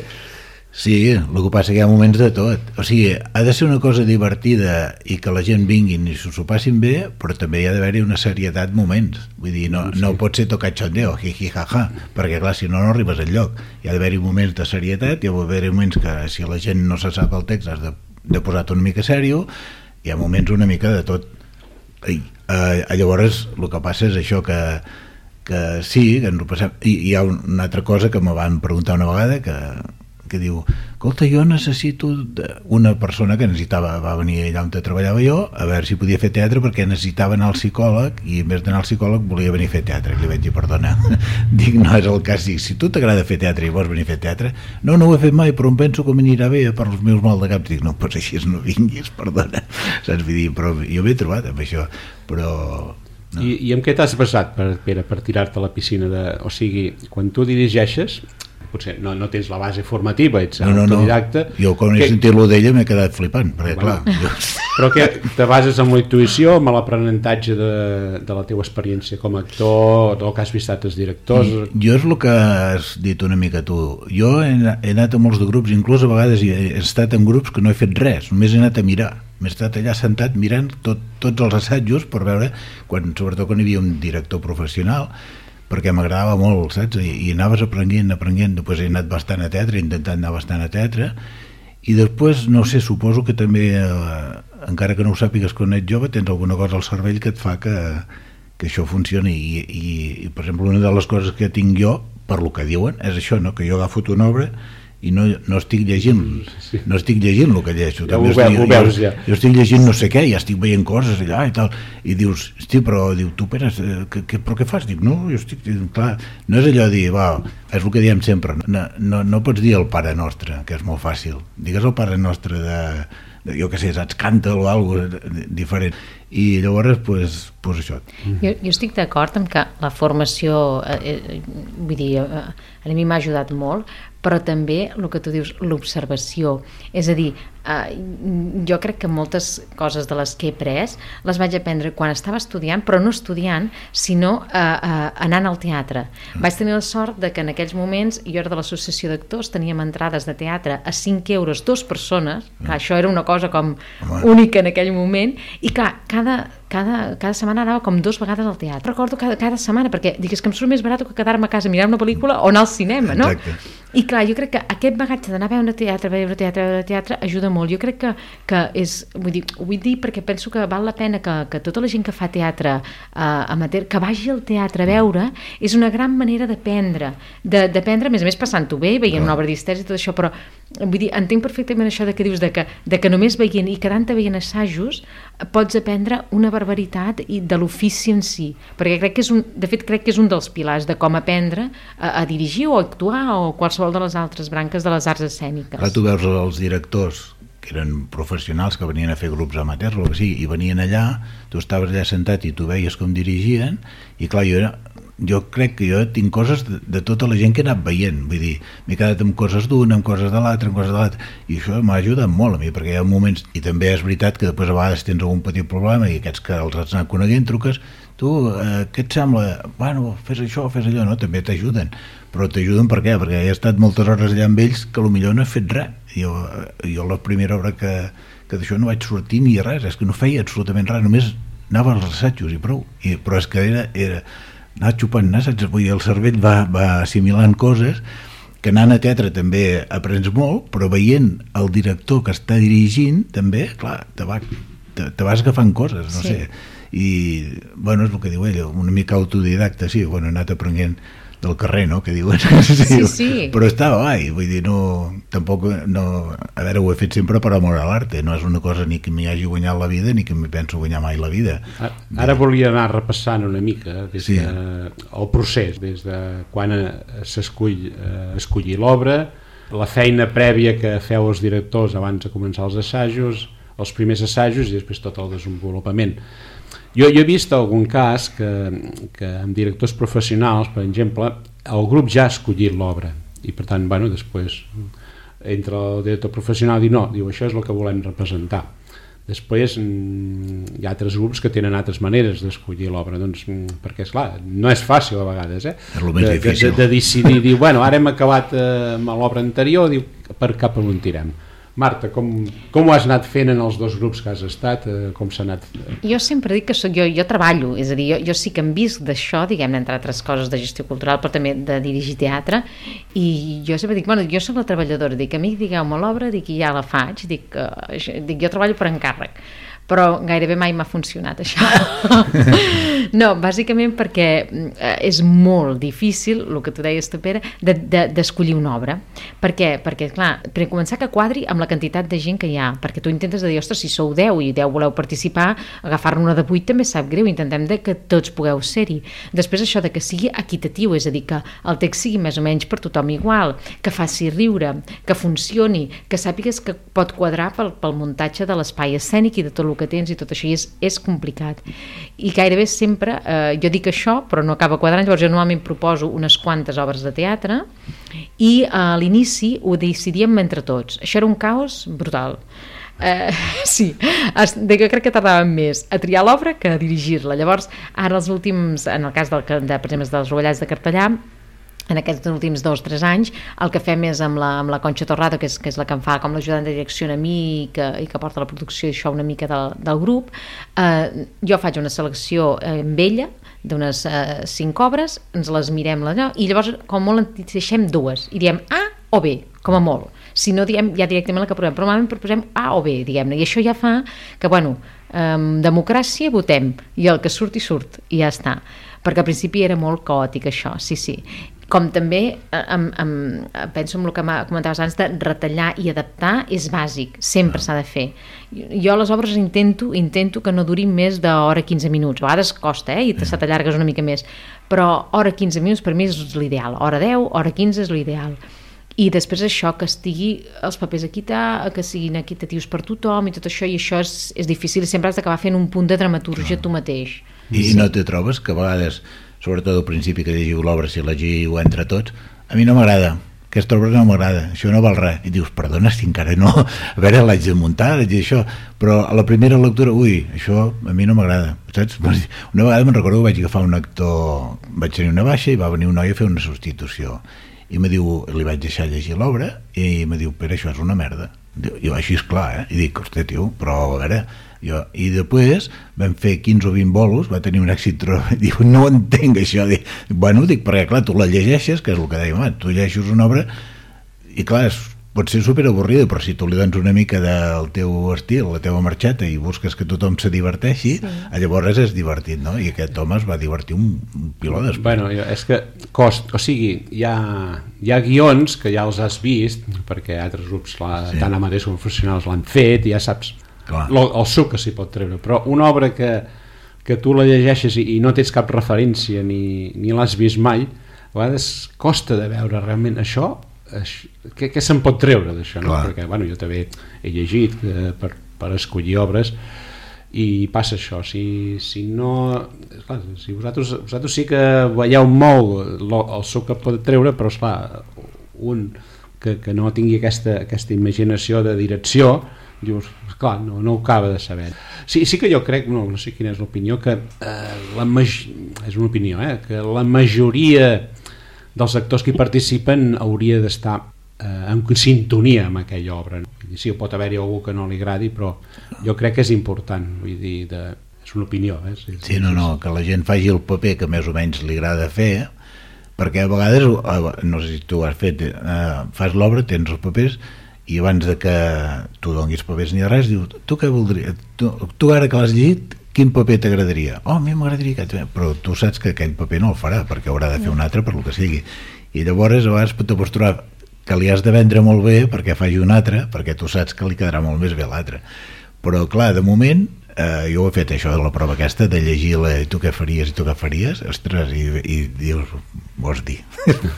Sí, el que passa que hi ha moments de tot, o sigui, ha de ser una cosa divertida i que la gent vinguin i s'ho passin bé, però també hi ha d'haver-hi una serietat moments, vull dir, no, sí. No pot ser tocar xondeo, jiji, jaja, perquè clar, si no, no arribes enlloc, hi ha d'haver-hi moments de serietat, hi ha d'haver-hi moments que si la gent no se sap el text has de, de posar-te una mica sèrio, hi ha moments una mica de tot. I, eh, llavors el que passa és això que, que sí, que ens ho passem, i hi ha una altra cosa que me van preguntar una vegada que que diu, escolta, jo necessito una persona que necessitava, va venir allà on treballava jo, a veure si podia fer teatre perquè necessitava anar al psicòleg i en vez d'anar al psicòleg volia venir a fer teatre. I li vaig dir, perdona, dic, no és el cas, dic, si tu t'agrada fer teatre i vols venir a fer teatre, no, no ho he fet mai, però em penso que m'anirà bé per als meus mal de cap. Dic, no, doncs així no vinguis, perdona, saps? Vull dir, però jo m'he trobat amb això, però... No. I, I amb què t'has basat, per, Pere, per tirar-te a la piscina? De, o sigui, quan tu dirigeixes, potser no, no tens la base formativa, ets no, no, autodidacta... No. Jo quan he que... sentit-lo d'ella m'he quedat flipant, perquè bueno, clar... Jo... Però que te bases en la intuïció, amb l'aprenentatge de, de la teva experiència com a actor, del que has vist altres directors... Jo és el que has dit una mica tu. Jo he, he anat a molts de grups, inclús a vegades he estat en grups que no he fet res, només he anat a mirar. M'he estat allà sentat mirant tot, tots els assajos per veure, quan, sobretot quan hi havia un director professional, perquè m'agradava molt, saps? I, i anaves aprenent, aprenent, després he anat bastant a teatre, he intentat anar bastant a teatre, i després, no sé, suposo que també eh, encara que no ho sàpigues quan ets jove, tens alguna cosa al cervell que et fa que, que això funcioni i, i, i per exemple una de les coses que tinc jo per lo que diuen és això, no? Que jo agafo una obra i no, no estic llegint sí. no estic llegint el que llegeixo, ja ho estic, ho veus, ja. jo, jo estic llegint no sé què, ja estic veient coses allà i tal, i dius, hosti, però diu, tu Pere, que, que, però què fas? Dic, no, jo estic, clar, no és allò de dir, va, és el que diem sempre, no, no, no pots dir el Pare Nostre, que és molt fàcil, digues el Pare Nostre de, de jo què sé, saps, canta o alguna cosa diferent, i llavors, pues, pues això. Jo, jo estic d'acord amb que la formació, eh, eh, vull dir, eh, a mi m'ha ajudat molt, però també el que tu dius, l'observació, és a dir, eh, jo crec que moltes coses de les que he après les vaig aprendre quan estava estudiant, però no estudiant, sinó eh, eh, anant al teatre. Vaig tenir la sort de que en aquells moments, jo era de l'associació d'actors, teníem entrades de teatre a cinc euros, dues persones, clar, això era una cosa com única en aquell moment, i clar, cada, cada, cada setmana anava com dues vegades al teatre. Recordo cada, cada setmana, perquè dic, és que em surt més barat que quedar-me a casa a mirar una pel·lícula o anar al cinema, no? Exacte. I clar, jo crec que aquest bagatge d'anar a veure teatre, veure teatre, veure teatre, ajuda molt. Jo crec que, que és, vull dir, ho vull dir perquè penso que val la pena que, que tota la gent que fa teatre eh, amateur, que vagi al teatre a veure, és una gran manera d'aprendre, d'aprendre, a més a més passant-ho bé, veient una obra d'histèria i tot això, però vull dir, entenc perfectament això de que dius de que, de que només veient i quedant-te veient assajos pots aprendre una barbaritat i de l'ofici en si, perquè crec que és un, de fet crec que és un dels pilars de com aprendre a, a dirigir o a actuar o qualsevol de les altres branques de les arts escèniques. Ara tu veus els directors que eren professionals que venien a fer grups amateurs o sigui, i venien allà, tu estaves allà sentat i tu veies com dirigien i clar, jo era jo crec que jo tinc coses de, de tota la gent que he anat veient, vull dir, m'he quedat amb coses d'una, amb coses de l'altra, amb coses de l'altra, i això m'ha ajudat molt a mi, perquè hi ha moments, i també és veritat que després a vegades tens algun petit problema i aquests que els has anat coneguent truques, tu, eh, què et sembla? Bueno, fes això, fes allò, no? També t'ajuden, però t'ajuden per què? Perquè he estat moltes hores allà amb ells que potser no he fet res, jo, jo la primera obra que, que d'això no vaig sortir ni res, és que no feia absolutament res, només anava als assajos i prou, I, però és que era, era anar xupant nasses, vull dir, el cervell va, va assimilant coses que anant a teatre també aprens molt, però veient el director que està dirigint també, clar, te, va, te, te vas agafant coses, no sí. sé i, bueno, és el que diu ell, una mica autodidacta, sí, bueno, he anat aprenent del carrer, no?, que diuen sí, sí. però estava guai, vull dir, no tampoc, no, a veure, ho he fet sempre per amor a l'arte, no és una cosa ni que m'hi hagi guanyat la vida, ni que m'hi penso guanyar mai la vida. Ara, ara volia anar repassant una mica des sí. de, el procés, des de quan s'escull eh, escollir l'obra, la feina prèvia que feu els directors abans de començar els assajos, els primers assajos i després tot el desenvolupament. Jo, jo he vist algun cas que, que amb directors professionals, per exemple, el grup ja ha escollit l'obra i per tant, bueno, després entra el director professional i dir no, diu, això és el que volem representar. Després hi ha altres grups que tenen altres maneres d'escollir l'obra, doncs, perquè esclar, no és fàcil a vegades, eh? És el més de, difícil. De, de decidir, dir, bueno, ara hem acabat eh, amb l'obra anterior, diu, per cap on tirem. Marta, com, com ho has anat fent en els dos grups que has estat? Eh, com s'ha anat? Jo sempre dic que soc, jo, jo treballo, és a dir, jo, jo sí que em visc d'això, diguem-ne, entre altres coses de gestió cultural, però també de dirigir teatre, i jo sempre dic, bueno, jo soc la treballadora, dic, a mi digueu-me l'obra, dic, i ja la faig, dic, uh, dic, jo treballo per encàrrec, però gairebé mai m'ha funcionat això. No, bàsicament perquè és molt difícil, el que tu deies tu, Pere, d'escollir de, de, una obra. Per què? Perquè, clar, per començar que quadri amb la quantitat de gent que hi ha, perquè tu intentes de dir, ostres, si sou deu i deu voleu participar, agafar-ne una de vuit també sap greu, intentem de que tots pugueu ser-hi. Després això de que sigui equitatiu, és a dir, que el text sigui més o menys per tothom igual, que faci riure, que funcioni, que sàpigues que pot quadrar pel, pel muntatge de l'espai escènic i de tot el que tens i tot això, i és, és complicat. I gairebé sempre, eh, jo dic això, però no acaba quadrant, llavors jo normalment proposo unes quantes obres de teatre i a l'inici ho decidíem entre tots. Això era un caos brutal. Eh, sí, de que crec que tardàvem més a triar l'obra que a dirigir-la. Llavors, ara els últims, en el cas del, de, per exemple, dels Rovellats de Cartellà, en aquests últims dos o tres anys, el que fem és amb la, amb la Conxa Torrado, que és, que és la que em fa com l'ajudant de direcció a mi i que, i que porta la producció i això una mica del, del grup, eh, jo faig una selecció amb ella d'unes eh, cinc obres, ens les mirem allò, i llavors com molt en deixem dues i diem A o B, com a molt. Si no diem ja directament la que aprovem, però normalment proposem A o B, diguem-ne, i això ja fa que, bueno, amb democràcia votem, i el que surt i surt, i ja està. Perquè al principi era molt caòtic això, sí, sí. Com també em, em, penso en el que comentaves abans de retallar i adaptar és bàsic, sempre s'ha de fer. Jo a les obres intento intento que no durin més d'hora quinze minuts, a vegades costa, eh, i se t'allargues una mica més, però hora quinze minuts per mi és l'ideal, hora deu, hora quinze és l'ideal. I després això, que estigui els papers equitar, que siguin equitatius per tothom i tot això, i això és, és difícil, i sempre has d'acabar fent un punt de dramatúrgia tu mateix. I sí. No te trobes que a vegades, sobretot al principi que llegiu l'obra, si llegiu entre tots, a mi no m'agrada, aquesta obra no m'agrada, això no val res, i dius, perdona, si encara no, a veure, l'haig de muntar, l'haig de això, però a la primera lectura, ui, això a mi no m'agrada, saps? Una vegada me'n recordo que vaig agafar un actor, vaig tenir una baixa i va venir un noi a fer una substitució, i me diu, li vaig deixar llegir l'obra, i me diu, Pere, això és una merda. I jo, així és clar, eh? I dic, hosti, tio, però a veure... Jo, i després vam fer quinze o vint bolos, va tenir un èxit, diu, no entenc això, dic, bueno, dic, perquè clar, tu la llegeixes, que és el que dèiem, ah, tu llegeixes una obra i clar, és, pot ser superavorrida, però si tu li dones una mica del teu estil, la teva marxeta, i busques que tothom se diverteixi, sí. Llavors és divertit, no? I aquest home es va divertir un, un piló després. Bueno, és que cost, o sigui, hi ha, hi ha guions que ja els has vist, perquè altres grups, la, sí. Tant amateurs com professionals l'han fet, i ja saps el, el suc que s'hi pot treure, però una obra que, que tu la llegeixes i, i no tens cap referència ni, ni l'has vist mai, a vegades costa de veure realment això, això què, què se'n pot treure d'això, no? Perquè bueno, jo també he llegit eh, per, per escollir obres i passa això, si, si no esclar, si vosaltres, vosaltres sí que veieu molt lo, el suc que pot treure, però esclar, un que, que no tingui aquesta, aquesta imaginació de direcció, dius, clar, no, no ho acaba de saber. Sí, sí que jo crec, no, no sé quina és l'opinió, que eh, la maj... és una opinió, eh, que la majoria dels actors que hi participen hauria d'estar eh, en sintonia amb aquella obra. Sí, pot haver-hi algú que no li agradi, però jo crec que és important, vull dir, de... és una opinió. Eh? Sí, sí, no, no, que la gent faci el paper que més o menys li agrada fer, perquè a vegades, no sé si tu has fet, eh, fas l'obra, tens els papers, i abans de que tu donis papers ni res, diu, tu què voldries? Tu, tu ara que l'has llegit, quin paper t'agradaria? Oh, a mi m'agradaria aquest, però tu saps que aquell paper no el farà, perquè haurà de fer un altre per lo que sigui. I llavors a vegades te pots trobar que li has de vendre molt bé perquè faci un altre, perquè tu saps que li quedarà molt més bé l'altre. Però clar, de moment, eh, jo ho he fet això de la prova aquesta, de llegir-la, i tu què faries, i tu què faries, ostres, i, i dius, vols dir,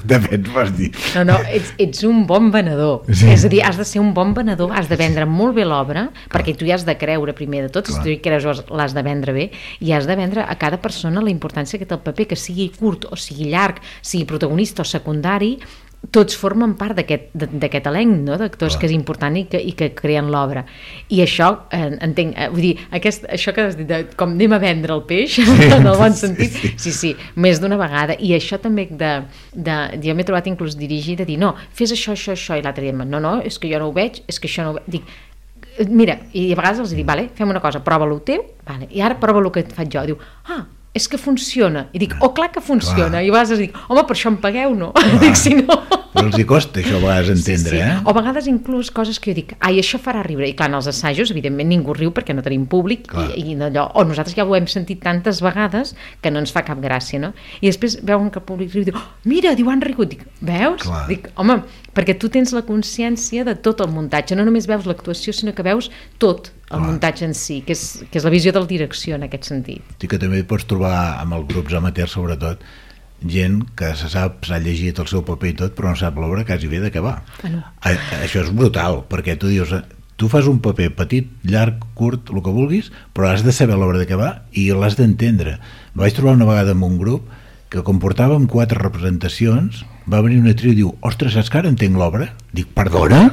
de fet vols dir. No, no, ets, ets un bon venedor, sí. És a dir, has de ser un bon venedor, has de vendre molt bé l'obra, perquè tu hi has de creure primer de tot, clar. Si tu hi creus l'has de vendre bé, i has de vendre a cada persona la importància que té el paper, que sigui curt o sigui llarg, sigui protagonista o secundari, tots formen part d'aquest elenc, no? D'actors que és important i que, i que creen l'obra. I això, eh, entenc, eh, vull dir, aquest, això que has dit, de, com anem a vendre el peix, sí, en el bon sentit, sí, sí, sí, més d'una vegada. I això també de, de jo m'he trobat inclús dirigir de dir, no, fes això, això, això, i l'altre dia, no, no, és que jo no ho veig, és que això no ho veig, dic, mira, i a vegades els dic, vale, fem una cosa, prova-lo teu, vale, i ara prova-lo que faig jo, diu, ah, és que funciona, i dic, oh clar que funciona, clar. I a vegades dic, home, per això em pagueu, no? Dic, si no... Però els hi costa això a vegades entendre, sí, sí. Eh? O a vegades inclús coses que jo dic, ai, això farà riure, i clar, en els assajos, evidentment ningú riu perquè no tenim públic, i, i allò, o nosaltres ja ho hem sentit tantes vegades que no ens fa cap gràcia, no? I després veuen que el públic riu i diu, oh, mira, diu, han rigut, dic, veus? Clar. Dic, home, perquè tu tens la consciència de tot el muntatge, no només veus l'actuació, sinó que veus tot el clar. Muntatge en si, que és, que és la visió del direcció en aquest sentit. Sí, que també pots trobar amb els grups amateurs, sobretot, gent que se sap, s'ha llegit el seu paper i tot, però no sap l'obra quasi bé de què va. Ah, no. a, això és brutal, perquè tu dius, tu fas un paper petit, llarg, curt, el que vulguis, però has de saber l'obra de què va i l'has d'entendre. Vaig trobar una vegada amb un grup que com portàvem quatre representacions, va venir una tria i diu, ostres, saps que ara entenc l'obra? Dic, perdona?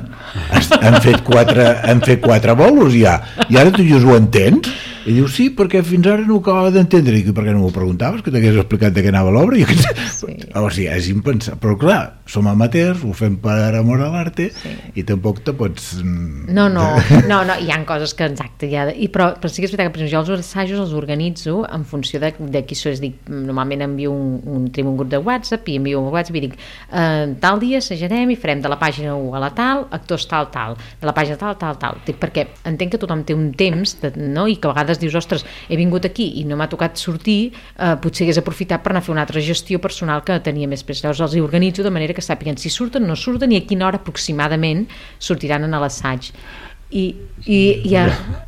Han fet quatre, han fet quatre bolos ja, i ara tu dius, ho entens? I diu, sí, perquè fins ara no ho acabava d'entendre. I per què no m'ho preguntaves, que t'hagués explicat de què anava l'obra? Sí. O sigui, és impensable. Però clar, som amateurs, ho fem per amor a l'arte, sí. I tampoc te pots... No, no, no, no, hi ha coses que, exacte, hi ha de... I, però, però sí que és veritat que, per exemple, jo els assajos els organitzo en funció de, de qui sois. Dic, normalment envio un, un, un grup de WhatsApp i envio un WhatsApp i dic, eh, tal dia assajarem i farem de la pàgina u a la tal, actors tal, tal, de la pàgina tal, tal, tal. Dic, perquè entenc que tothom té un temps, de, no? I que a vegades dius, ostres, he vingut aquí i no m'ha tocat sortir, eh, potser hagués aprofitat per anar a fer una altra gestió personal que tenia més pres. Llavors els hi organitzo de manera que sàpiguen si surten, no surten i a quina hora aproximadament sortiran a l'assaig. I, i, i a,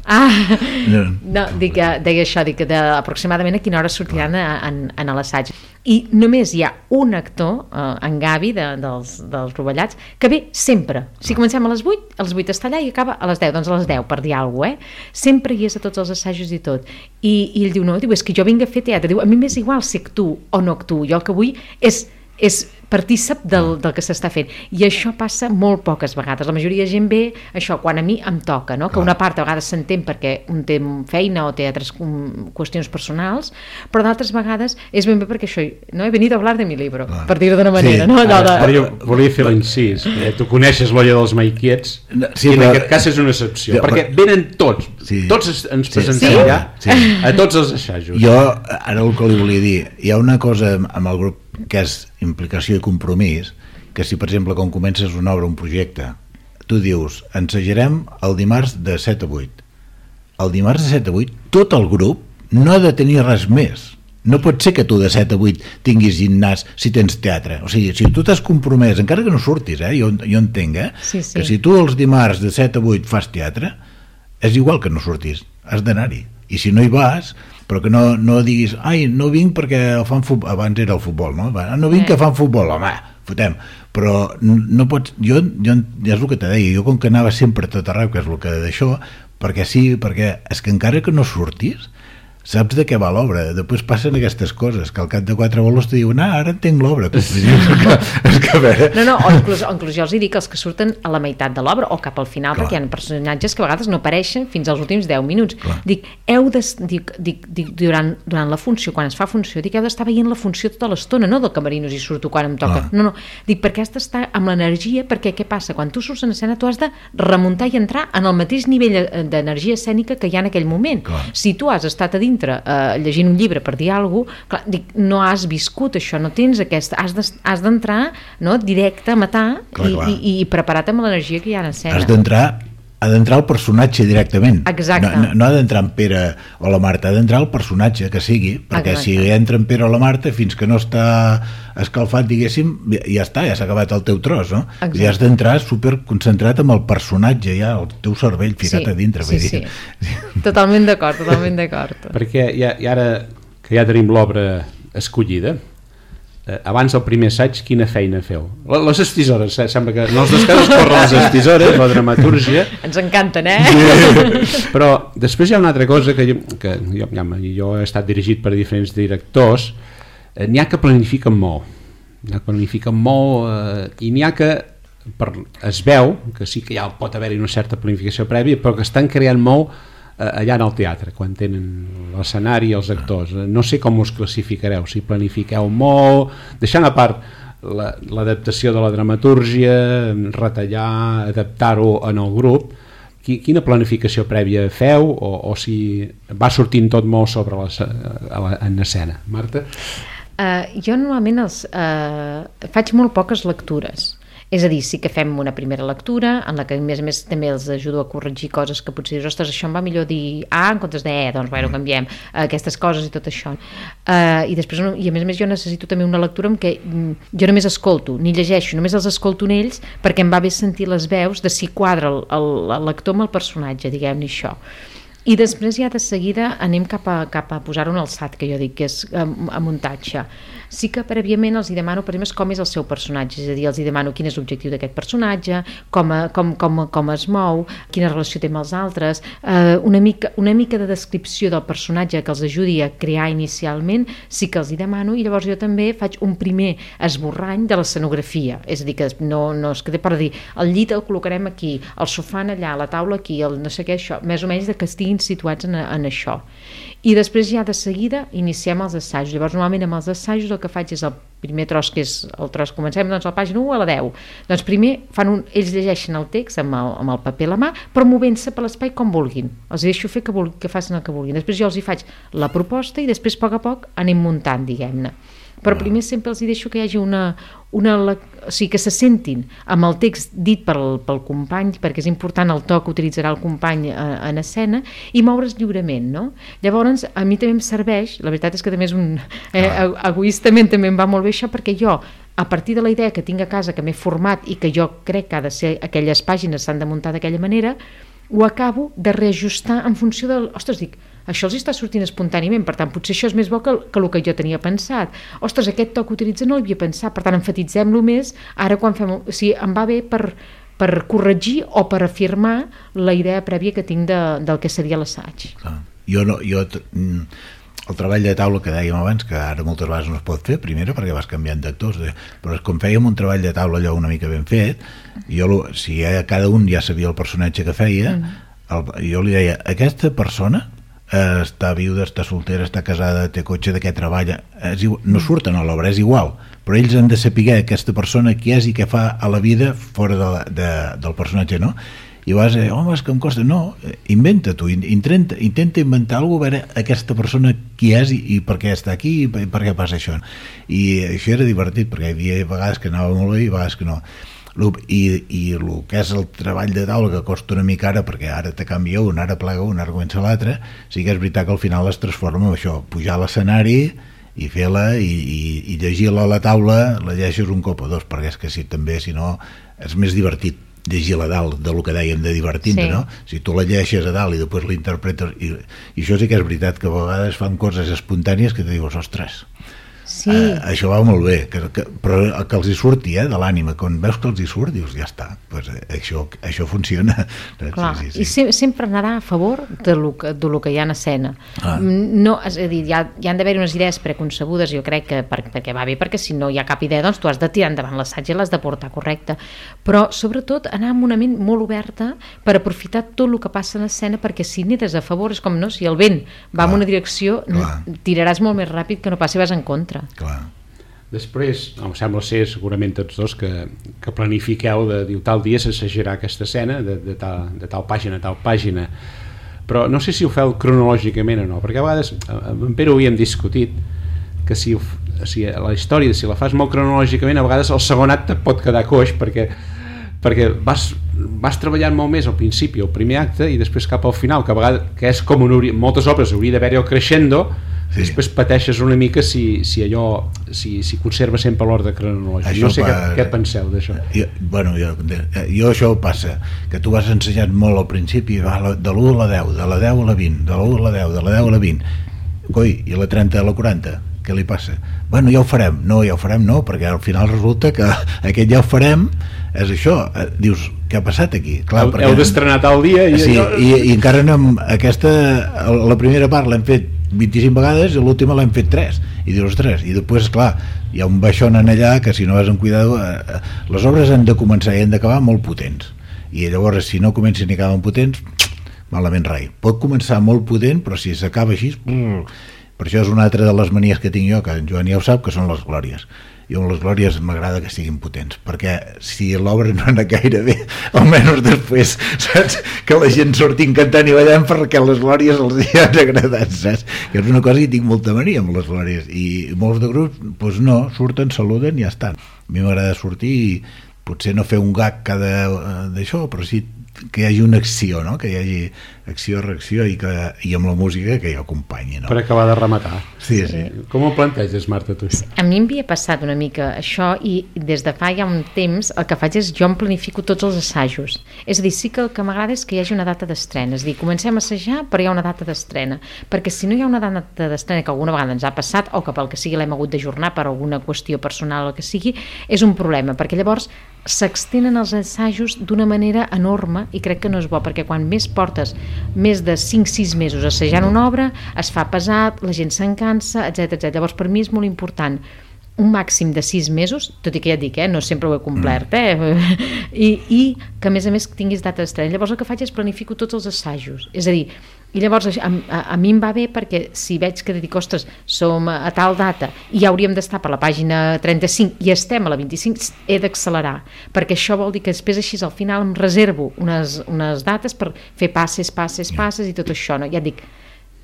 ah, no, dic, deia això, dic que de, aproximadament a quina hora sortiran a, en, en l'assaig. I només hi ha un actor, eh, en Gavi, de, dels, dels Rovellats, que ve sempre. Si comencem a les vuit, a les vuit està allà i acaba a les deu, doncs a les deu, per dir alguna cosa, eh? Sempre hi és a tots els assajos i tot. I, i ell diu, no, diu, és que jo vinc a fer teatre. Diu, a mi m'és igual si actuo o no actuo. Jo el que vull és, és partícip del, del que s'està fent, i això passa molt poques vegades. La majoria de gent ve això quan a mi em toca, no? Que una part a vegades s'entén perquè un té feina o té altres qüestions personals, però d'altres vegades és ben bé perquè això, no he venit a hablar de mi libro, ah. per dir-ho d'una manera, sí. No? Allò de... Ara, ara jo volia fer l'incís, eh, tu coneixes l'olla dels maiquiets, sí, i en però... aquest cas és una excepció, ja, perquè però... venen tots, sí. tots ens presentem sí. allà, sí. a tots els assajos. Jo, ara el que li volia dir, hi ha una cosa amb el grup que és implicació i compromís, que si per exemple quan comences una obra, un projecte, tu dius, ensajarem el dimarts de set a vuit, el dimarts de set a vuit tot el grup no ha de tenir res més. No pot ser que tu de set a vuit tinguis gimnàs si tens teatre. O sigui, si tu t'has compromès, encara que no surtis, eh? jo, jo entenc eh? sí, sí. que si tu els dimarts de set a vuit fas teatre, és igual que no surtis, has d'anar-hi. I si no hi vas, però que no, no diguis, ai, no vinc perquè fan futbol, abans era el futbol, no? No vinc que fan futbol, home, fotem. Però no pots, jo, jo és el que te deia, jo com que anava sempre a tot arreu, que és el que d'això, perquè sí, perquè és que encara que no surtis, saps de què va l'obra. Després passen aquestes coses, que al cap de quatre bolos te diuen, ah, ara entenc l'obra. és que a veure... No, no, o inclús, o inclús jo els hi dic els que surten a la meitat de l'obra o cap al final, clar. Perquè hi ha personatges que a vegades no apareixen fins als últims deu minuts. Clar. Dic, heu de, dic, dic, dic durant, durant la funció, quan es fa funció, dic, heu d'estar veient la funció tota l'estona, no del camerinos i surto quan em toca. Clar. No, no, dic, perquè has d'estar amb l'energia, perquè què passa? Quan tu surts en escena tu has de remuntar i entrar en el mateix nivell d'energia escènica que hi ha en aquell moment. Clar. Si tu has estat a dintre Uh, llegint un llibre per dir alguna cosa, dic, no has viscut això, no tens aquesta, has d'entrar no, directe a matar clar, i, clar. I, i preparar-te amb l'energia que hi ha en escena. Has d'entrar ha d'entrar el personatge directament. Exacte. No, no, no ha d'entrar en Pere o la Marta, ha d'entrar el personatge que sigui, perquè exacte. Si entra en Pere o la Marta, fins que no està escalfat, diguéssim, ja està, ja s'ha acabat el teu tros, no? Exacte. I has d'entrar superconcentrat amb el personatge, ja, el teu cervell ficat sí, a dintre. Sí, sí. sí. Totalment d'acord, totalment d'acord. Perquè ja, i ara que ja tenim l'obra escollida, Eh, abans del primer assaig, quina feina feu? Les estisores, eh? Sembla que en els dos casos corren les estisores, la dramatúrgia. Ens encanten, eh? Però després hi ha una altra cosa que jo, que jo, ja, jo he estat dirigit per diferents directors, eh, n'hi ha que planifiquen molt, n'hi ha que planifiquen molt eh, i n'hi ha que per, es veu que sí que ja pot haver-hi una certa planificació prèvia, però que estan creant molt allà en el teatre, quan tenen l'escenari i els actors. No sé com us classificareu, si planifiqueu molt, deixant a part l'adaptació de la dramatúrgia, retallar, adaptar-ho en el grup, quina planificació prèvia feu o, o si va sortint tot molt sobre la, la, en escena? Marta? Uh, jo normalment els, uh, faig molt poques lectures. És a dir, sí que fem una primera lectura en la que a més a més també els ajudo a corregir coses que potser dius, ostres, això em va millor dir A en comptes de E, doncs bueno, canviem aquestes coses i tot això. Uh, i després, i a més a més jo necessito també una lectura en què jo només escolto, ni llegeixo, només els escolto en ells perquè em va bé sentir les veus de si quadra el, el, el lector amb el personatge, diguem-ne això. I després ja de seguida anem cap a, cap a posar-ho en alçat, que jo dic que és a, a muntatge. Sí que prèviament els hi demano per exemple com és el seu personatge, és a dir, els hi demano quin és l'objectiu d'aquest personatge, com, a, com, com, com es mou, quina relació té amb els altres, eh, una, mica, una mica de descripció del personatge que els ajudi a crear inicialment, sí que els hi demano, i llavors jo també faig un primer esborrany de l'escenografia, és a dir, que no, no es quedi per dir, el llit el col·locarem aquí, el sofà allà, la taula aquí, el no sé què, això, més o menys de que estiguin situats en, en això. I després ja de seguida iniciem els assajos. Llavors normalment amb els assajos el que faig és el primer tros, que és el tros, comencem doncs a la pàgina u a la deu. Doncs primer fan un, ells llegeixen el text amb el, amb el paper a la mà, però movent-se per l'espai com vulguin. Els deixo fer que, vulguin, que facin el que vulguin. Després jo els hi faig la proposta i després a poc a poc anem muntant, diguem-ne. però primer sempre els hi deixo que hi hagi una, una o sigui, que se sentin amb el text dit pel, pel company, perquè és important el to que utilitzarà el company en escena, i moure's lliurement, no? Llavors, a mi també em serveix, la veritat és que també és un... Eh, egoistament també em va molt bé això, perquè jo, a partir de la idea que tinc a casa, que m'he format i que jo crec que ha de ser, aquelles pàgines s'han de muntar d'aquella manera, ho acabo de reajustar en funció del... Ostres, dic, això els està sortint espontàniament, per tant, potser això és més bo que, que el que jo tenia pensat. Ostres, aquest to que utilitza no l'havia pensat, per tant, enfatitzem-lo més, ara quan fem... O sigui, em va bé per, per corregir o per afirmar la idea prèvia que tinc de, del que seria l'assaig. Ah, jo no... Jo, el treball de taula que dèiem abans, que ara moltes vegades no es pot fer, primera perquè vas canviant d'actors, però com fèiem un treball de taula allò una mica ben fet, jo, si ja, cada un ja sabia el personatge que feia, el, jo li deia, aquesta persona eh, està viuda, està soltera, està casada, té cotxe, de què treballa, és igual, no surten a l'obra, és igual, però ells han de saber aquesta persona qui és i què fa a la vida fora de, de, del personatge, no? I vas dir, home, és que em costa... No, inventa tu, intenta, intenta inventar alguna cosa, veure aquesta persona qui és i, i per què està aquí i per, per què passa això. I això era divertit, perquè hi havia vegades que anava molt bé i vegades que no. I, i el que és el treball de taula, que costa una mica ara, perquè ara te canvia un, ara plega un, ara comença l'altre, sí que és veritat que al final es transforma en això, pujar a l'escenari i fer-la i, i, i llegir-la a la taula, la llegeixes un cop o dos, perquè és que si també, si no, és més divertit llegir-la a dalt, de lo que dèiem de divertir-te, sí. No? Si tu la llegeixes a dalt i després l'interpretes, i, i això sí que és veritat, que a vegades fan coses espontànies que te dius, ostres, sí. eh, això va molt bé, que, que, però que els hi surti, eh, de l'ànima, quan veus que els hi surt, dius, ja està, pues, eh, això, això funciona. Clar, sí, sí, sí. I se, sempre anar a favor de lo que, de lo que hi ha en escena. Ah. No, és a dir, hi, ha, hi han d'haver unes idees preconcebudes, jo crec que per, perquè va bé, perquè si no hi ha cap idea, doncs tu has de tirar endavant l'assaig i l'has de portar correcte, però sobretot anar amb una ment molt oberta per aprofitar tot el que passa en escena, perquè si n'hi des a favor, és com, no, si el vent va en una direcció, clar. Tiraràs molt més ràpid que no passi vas en contra. Clar. Després, em sembla ser segurament tots dos que, que planifiqueu de dir tal dia s'assajarà aquesta escena de, de, tal, de tal pàgina a tal pàgina, però no sé si ho feu cronològicament o no, perquè a vegades amb en Pere ho havíem discutit que si, si la història, si la fas molt cronològicament, a vegades el segon acte pot quedar coix perquè, perquè vas, vas treballant molt més al principi, al primer acte, i després cap al final, que a vegades que és com un, moltes obres hauria d'haver-hi el crescendo. Sí. Després pateixes una mica si, si allò si, si conserva sempre l'ordre cronològic. Això no sé pa... què, què penseu d'això. Jo, bueno, jo, jo això passa, que tu vas ensenyant molt al principi, va, de l'u a la deu, de la deu a la vint, de l'u a la deu, de la deu a la vint, coi, i la trenta a la quaranta, què li passa? Bueno, ja ho farem, no, ja ho farem no, perquè al final resulta que aquest ja ho farem és això, dius, què ha passat aquí? Clar, heu perquè... heu d'estrenar tal dia i, sí, allò... i, i encara no, aquesta, la primera part l'hem fet vint-i-cinc vegades i l'última l'hem fet tres i dius, ostres, i després, clar, hi ha un baixón en allà que si no vas amb cuidado eh, les obres han de començar i han d'acabar molt potents, i llavors si no comencen i acaben potents, malament rai. Pot començar molt potent, però si s'acaba així, per això és una altra de les manies que tinc jo, que en Joan ja ho sap, que són les glòries. I amb les glòries m'agrada que siguin potents, perquè si l'obra no anà gaire bé, almenys després, saps, que la gent surti cantant i ballant perquè les glòries els hi han agradat, saps? Que és una cosa que tinc molta mania amb les glòries, i molts de grups, doncs no, surten, saluden i ja estan. A mi m'agrada sortir i potser no fer un gag cada d'això, però sí que hi hagi una acció, no? Que hi hagi acció, reacció i, que, i amb la música que hi acompanyi, no? Per acabar de rematar. Sí, sí. Com ho planteges, Marta, tu? A mi em havia passat una mica això i des de fa ja un temps el que faig és jo em planifico tots els assajos. És a dir, sí que el que m'agrada és que hi hagi una data d'estrena. És a dir, comencem a assajar però hi ha una data d'estrena. Perquè si no hi ha una data d'estrena, que alguna vegada ens ha passat o que pel que sigui l'hem hagut d'ajornar per alguna qüestió personal o el que sigui, és un problema, perquè llavors s'extenen els assajos d'una manera enorme i crec que no és bo, perquè quan més portes més de cinc sis mesos assajant una obra, es fa pesat, la gent se'n cansa, etcètera etcètera. Llavors per mi és molt important un màxim de sis mesos, tot i que ja et dic, eh, no sempre ho he complert, eh? I, i que a més a més tinguis data d'estrena. Llavors el que faig és planifico tots els assajos, és a dir, i llavors a, a, a mi em va bé perquè si veig que dic, ostres, som a, a tal data i ja hauríem d'estar per la pàgina trenta-cinc i estem a la vint-i-cinc, he d'accelerar, perquè això vol dir que després així al final em reservo unes, unes dates per fer passes, passes, passes i tot això, no? Ja et dic,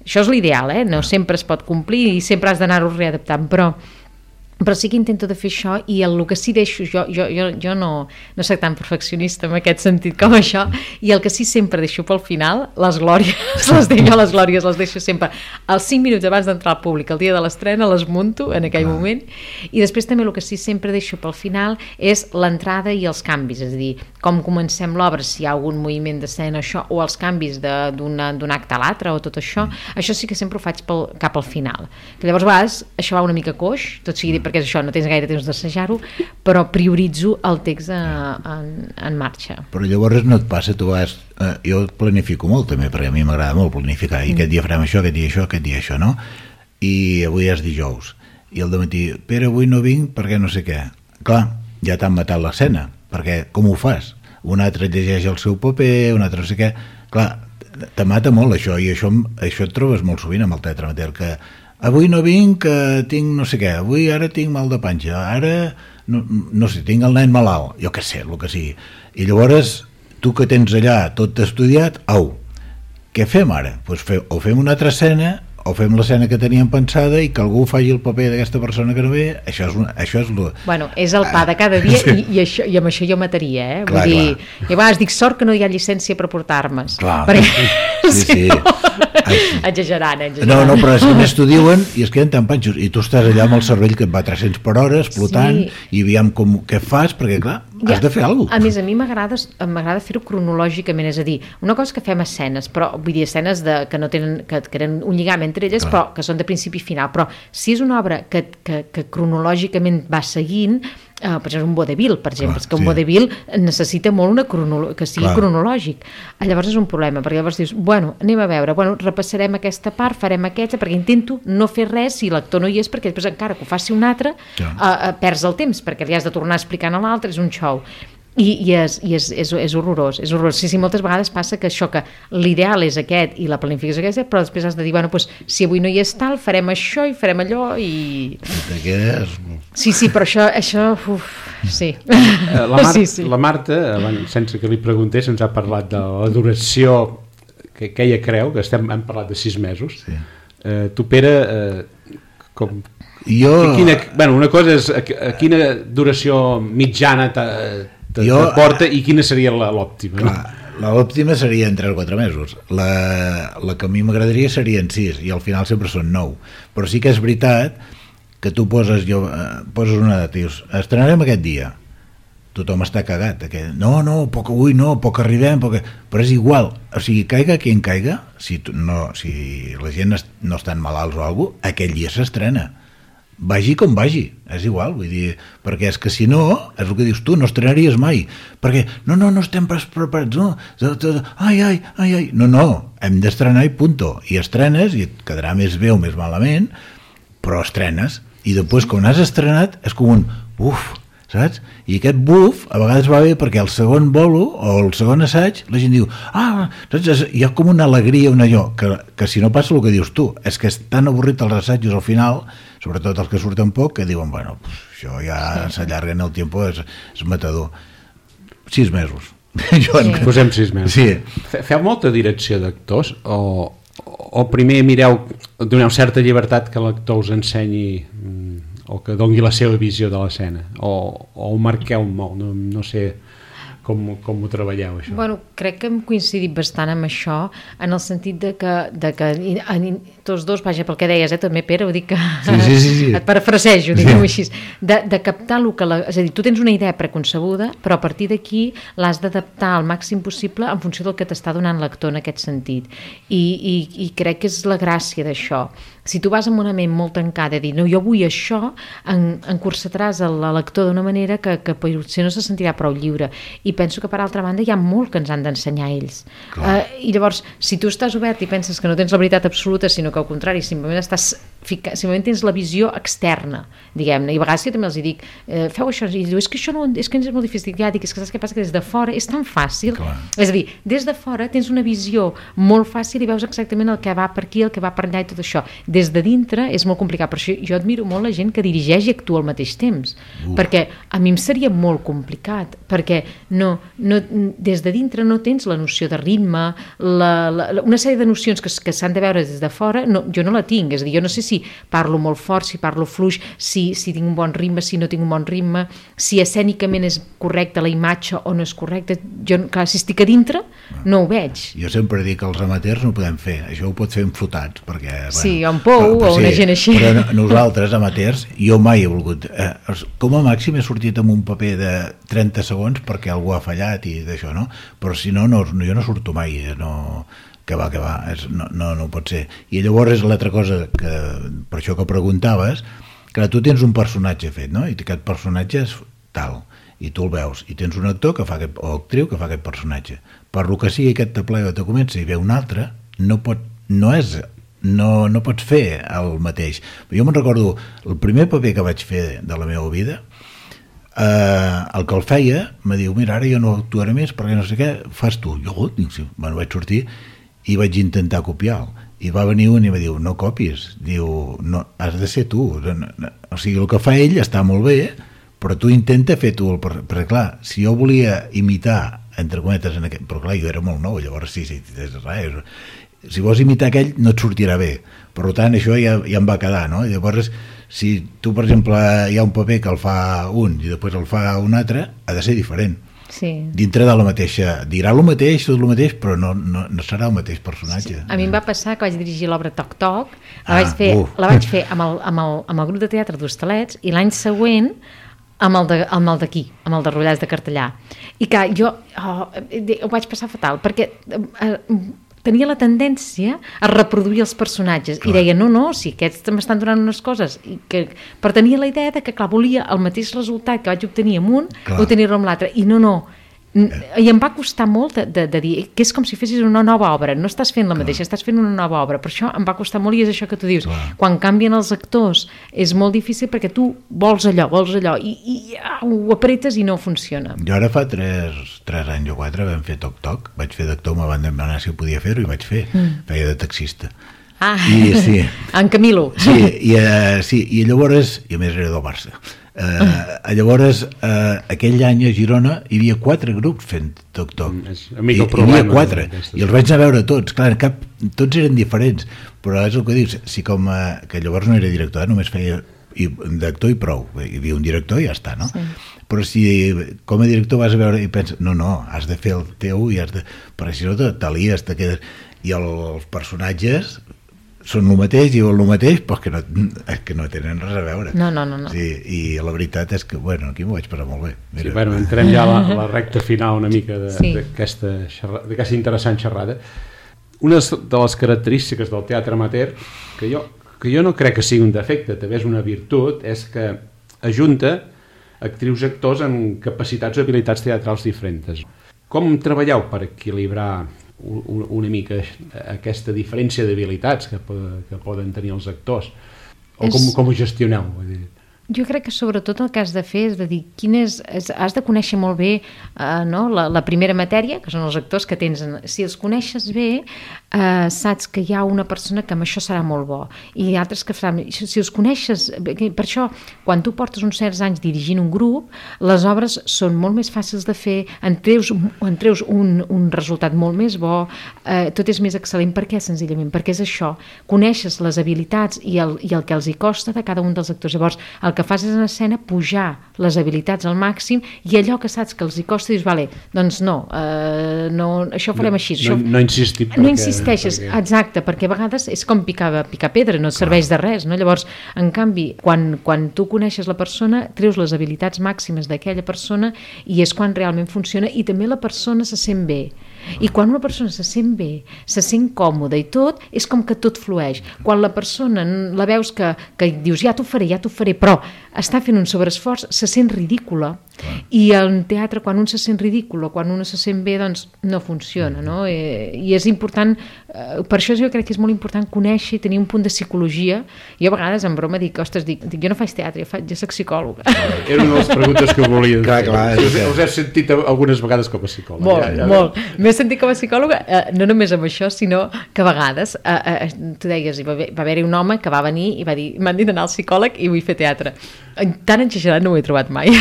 això és l'ideal, eh? No sempre es pot complir i sempre has d'anar-ho readaptant, però però sí que intento de fer això i el, el que sí deixo, jo, jo, jo, jo no, no soc tan perfeccionista en aquest sentit com això, i el que sí sempre deixo pel final, les glòries, les deixo, les glòries les deixo sempre als cinc minuts abans d'entrar al públic, el dia de l'estrena les munto en aquell moment, i després també el que sí sempre deixo pel final és l'entrada i els canvis, és a dir, com comencem l'obra, si hi ha algun moviment d'escena, això, o els canvis d'un acte a l'altre, o tot això, mm. això sí que sempre ho faig pel, cap al final, que llavors a vegades això va una mica coix, tot sigui dit perquè és això, no tens gaire temps d'assajar-ho, però prioritzo el text a, en, en marxa. Però llavors no et passa, tu vas, eh, jo planifico molt també, perquè a mi m'agrada molt planificar, i mm. aquest dia farem això, aquest dia això, aquest dia això, no? I avui és dijous, i al dematí, Pere, avui no vinc perquè no sé què. Clar, ja t'han matat l'escena, perquè com ho fas? Un altre llegeix el seu paper, un altre no sé què, clar, te mata molt això, i això, això et trobes molt sovint amb el teatre amateur, que avui no vinc, que tinc no sé què, avui ara tinc mal de panxa, ara no, no sé, tinc el nen malalt, jo què sé, el que sigui. I llavors, tu que tens allà tot estudiat, au, què fem ara? Pues fe, o fem una altra escena, o fem l'escena que teníem pensada i que algú faci el paper d'aquesta persona que no ve, això és, una, això és lo... Bueno, és el pa de cada dia i, i, això, i amb això jo mataria, eh? Clar, vull dir, clar. I a vegades dic, sort que no hi ha llicència per portar-me's. Clar, perquè, sí, sí. No, exagerant, exagerant. No, no, però és que més t'ho diuen i es queden tan panxos, i tu estàs allà amb el cervell que et va a tres-cents per hora, explotant, sí. I aviam com, què fas, perquè clar, ja, has de fer alguna cosa. A més, a mi m'agrada fer-ho cronològicament, és a dir, una cosa que fem escenes, però vull dir, escenes de, que no tenen, que, que tenen un lligam entre elles, clar. Però que són de principi i final, però si és una obra que, que, que cronològicament va seguint, Uh, per exemple un vodevil, per exemple, clar, que un sí. vodevil necessita molt una cronolo- que sigui clar. Cronològic, llavors és un problema, perquè llavors dius, bueno, anem a veure, bueno, repassarem aquesta part, farem aquesta, perquè intento no fer res si l'actor no hi és, perquè després encara que ho faci un altre uh, uh, perds el temps, perquè li has de tornar explicant a l'altre, és un show. I, i, és, i és, és, és horrorós, és horrorós. Sí, sí, moltes vegades passa que això, que l'ideal és aquest i la planificació és aquesta, però després has de dir, bueno, pues, si avui no hi és tal, farem això i farem allò i... Sí, sí, però això, això uf, sí. La, Mar sí, sí. La Marta, sense que li preguntés, ens ha parlat de la duració que, que ella creu, que estem, hem parlat de sis mesos. Sí. Eh, tu, Pere, eh, com... Jo... Quina, bueno, una cosa és a, a quina duració mitjana t'ha Te, jo, te porta i quina seria l'òptima? L'òptima seria en tres o quatre mesos, la, la que a mi m'agradaria serien sis i al final sempre són nou, però sí que és veritat que tu poses, jo, poses una data i dius, estrenarem aquest dia, tothom està cagat, aquest, no, no, poc avui no, poc arribem, poc... però és igual, o sigui, caiga qui en caiga, si, tu, no, si la gent no estan malalts o alguna cosa, aquell dia s'estrena, vagi com vagi, és igual, vull dir, perquè és que si no, és el que dius tu, no estrenaries mai, perquè no, no, no estem preparats, no, ai, ai, ai, ai, no, no, hem d'estrenar i punto, i estrenes, i et quedarà més bé o més malament, però estrenes, i després quan has estrenat és com un uf, saps? I aquest buf a vegades va bé perquè el segon bolo o el segon assaig la gent diu, ah, saps? Hi ha com una alegria, una allò, que, que si no passa el que dius tu, és que és tan avorrit els assajos al final, sobretot els que surten poc, que diuen, bueno, pues, això ja s'allarga en el temps, és, és matador. Sis mesos. Joan, sí. Posem sis mesos. Sí. Feu molta direcció d'actors o, o primer mireu, doneu certa llibertat que l'actor us ensenyi o que doni la seva visió de l'escena o, o ho marqueu molt, no, no sé com, com ho treballeu això? Bueno, crec que hem coincidit bastant amb això en el sentit de que, de que en, tots dos, vaja, pel que deies, eh, també Pere, ho dic que sí, sí, sí, sí. et parafrasejo, diguem-ho així, de, de captar el que la, és a dir, tu tens una idea preconcebuda, però a partir d'aquí l'has d'adaptar al màxim possible en funció del que t'està donant l'actor en aquest sentit i, i, i crec que és la gràcia d'això. Si tu vas amb una ment molt tancada a dir, no, jo vull això, en, encursetaràs l'actor d'una manera que, que potser no se sentirà prou lliure. I penso que, per altra banda, hi ha molt que ens han d'ensenyar ells. Uh, I llavors, si tu estàs obert i penses que no tens la veritat absoluta, sinó que al contrari, simplement estàs fica, simplement tens la visió externa, diguem-ne. I a vegades jo també els dic, eh, feu això, i diu, és que això no, és que és molt difícil. Ja dic, és que saps què passa? Que des de fora és tan fàcil. Clar. És a dir, des de fora tens una visió molt fàcil i veus exactament el que va per aquí, el que va per allà i tot això. Des de dintre és molt complicat, per això jo admiro molt la gent que dirigeix i actua al mateix temps, uh. perquè a mi em seria molt complicat, perquè no, no, des de dintre no tens la noció de ritme, la, la, una sèrie de nocions que, que s'han de veure des de fora, no, jo no la tinc, és a dir, jo no sé si parlo molt fort, si parlo fluix, si, si tinc un bon ritme, si no tinc un bon ritme, si escènicament és correcta la imatge o no és correcta, jo, clar, si estic a dintre no ho veig. Jo sempre dic que els amateurs no ho podem fer, això ho pot fer enfotats, perquè... Sí, bueno, o en Pou, o una sí, gent així. Però nosaltres, amateurs, jo mai he volgut... Eh, com a màxim he sortit amb un paper de trenta segons perquè algú ha fallat i d'això, no? Però si no, no, jo no surto mai, eh, no... que va, que va, és, no, no, no pot ser. I llavors és l'altra cosa, que per això que preguntaves, que tu tens un personatge fet, no? I aquest personatge és tal, i tu el veus, i tens un actor que fa aquest, o actriu que fa aquest personatge. Per lo que sigui aquest te plega o te comença i ve un altre, no pot, no és, no, no pots fer el mateix. Jo me'n recordo, el primer paper que vaig fer de la meva vida, eh, el que el feia, me diu, mira, ara jo no actuaré més perquè no sé què, fas tu. Jo, dic, sí, bueno, vaig sortir i vaig intentar copiar-lo. I va venir un i va dir, no copies, diu, no, has de ser tu. O sigui, el que fa ell està molt bé, però tu intenta fer tu, el, perquè clar, si jo volia imitar, entre cometes, en aquest, però clar, jo era molt nou, llavors sí, sí, és res, si vols imitar aquell no et sortirà bé, per tant això ja, ja em va quedar, no? Llavors, si tu, per exemple, hi ha un paper que el fa un i després el fa un altre, ha de ser diferent. Sí. Dintre de la mateixa, dirà el mateix, tot el mateix, però no, no, no serà el mateix personatge. Sí. A mi em va passar que vaig dirigir l'obra Toc Toc, la, ah, vaig, fer, uh. la vaig fer amb el, amb, el, amb el grup de teatre d'Hostalets i l'any següent amb el, de, amb el d'aquí, amb el de Rollars de Cartellà. I que jo oh, ho vaig passar fatal, perquè eh, tenia la tendència a reproduir els personatges. Clar. I deia, no, no, si aquests m'estan donant unes coses. I que, però tenia la idea de que, clar, volia el mateix resultat que vaig obtenir amb un, clar. Obtenir-lo amb l'altre. I no, no. I em va costar molt de, de, de dir que és com si fessis una nova obra, no estàs fent la mateixa, clar. Estàs fent una nova obra, per això em va costar molt i és això que tu dius, clar. Quan canvien els actors és molt difícil perquè tu vols allò, vols allò i, i ja, ho apretes i no funciona. Jo ara fa tres, tres anys o quatre vam fer Toc Toc, vaig fer d'actor, me van demanar si ho podia fer-ho i vaig fer, mm. feia de taxista. Ah, I, sí. En Camilo. Sí, i, uh, sí, i llavors, i a més era del Barça, Uh, llavors uh, aquell any a Girona hi havia quatre grups fent Toc Toc, mm, hi, hi havia quatre i els vaig anar a veure tots, clar, cap, tots eren diferents, però és el que dius, si com uh, que llavors no era director, eh, només feia i, d'actor i prou, hi havia un director i ja està, no? Sí. Però si com a director vas a veure i penses, no, no, has de fer el teu i has de, perquè si no t'alies, te quedes, i el, els personatges són el mateix, diuen el mateix, però que no, que no tenen res a veure. No, no, no. no. Sí, i la veritat és que, bueno, aquí m'ho vaig passar molt bé. Mira. Sí, bueno, entrem ja a la, a la recta final una mica d'aquesta sí. d'aquesta interessant xerrada. Una de les característiques del teatre amateur, que jo, que jo no crec que sigui un defecte, també és una virtut, és que ajunta actrius i actors amb capacitats o habilitats teatrals diferents. Com treballeu per equilibrar una mica aquesta diferència d'habilitats que, que poden tenir els actors o com, com ho gestioneu? Vull dir? Jo crec que sobretot el que has de fer és de dir quin és, és has de conèixer molt bé eh, no? la, la primera matèria, que són els actors que tens. Si els coneixes bé, eh, saps que hi ha una persona que amb això serà molt bo i altres que faran... Si els coneixes... Per això, quan tu portes uns certs anys dirigint un grup, les obres són molt més fàcils de fer, en treus, en treus un, un resultat molt més bo, eh, tot és més excel·lent. Per què? Senzillament perquè és això. Coneixes les habilitats i el, i el que els hi costa de cada un dels actors. Llavors, el que fas és en escena pujar les habilitats al màxim i allò que saps que els hi costa dius, vale, doncs no, eh, no això ho farem així. No, això... no, no insistir perquè... No insisteixes, perquè... exacte, perquè a vegades és com picar, picar pedra, no et serveix de res, no? Llavors, en canvi, quan, quan tu coneixes la persona, treus les habilitats màximes d'aquella persona i és quan realment funciona i també la persona se sent bé. I quan una persona se sent bé, se sent còmoda i tot, és com que tot flueix. Quan la persona la veus que, que dius, ja t'ho faré, ja t'ho faré, però està fent un sobreesforç, se sent ridícula. I al teatre, quan un se sent ridícul o quan un se sent bé, doncs no funciona, no? I, i és important, eh, per això jo crec que és molt important conèixer i tenir un punt de psicologia. Jo a vegades en broma dic, ostres, dic, dic jo no faig teatre, jo, faig, jo soc psicòloga. Era una de les preguntes que volia. Clar, clar, si us, us heu sentit algunes vegades com a psicòloga? Molt, ja, ja molt. M'he sentit com a psicòloga, eh, no només amb això, sinó que a vegades, eh, eh, tu deies, va, va haver-hi un home que va venir i va dir, m'han dit d'anar al psicòleg i vull fer teatre. Tan exagerat no ho he trobat mai.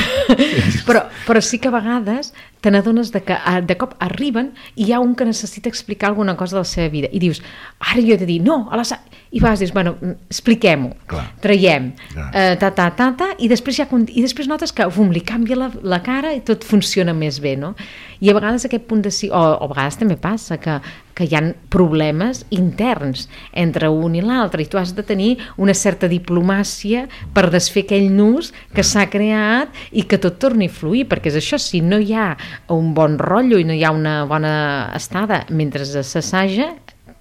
però, però sí que a vegades te n'adones de que de cop arriben i hi ha un que necessita explicar alguna cosa de la seva vida i dius, ara jo he de dir, no, a la sa... i vas, dius, bueno, expliquem-ho, traiem, eh, ta, ta, ta, ta, i després, ja, i després notes que bum, li canvia la, la cara i tot funciona més bé, no? I a vegades aquest punt de... O, o a vegades també passa que, que hi ha problemes interns entre un i l'altre i tu has de tenir una certa diplomàcia per desfer aquell nus que s'ha creat i que tot torni a fluir, perquè és això, si no hi ha un bon rotllo i no hi ha una bona estada mentre s'assaja,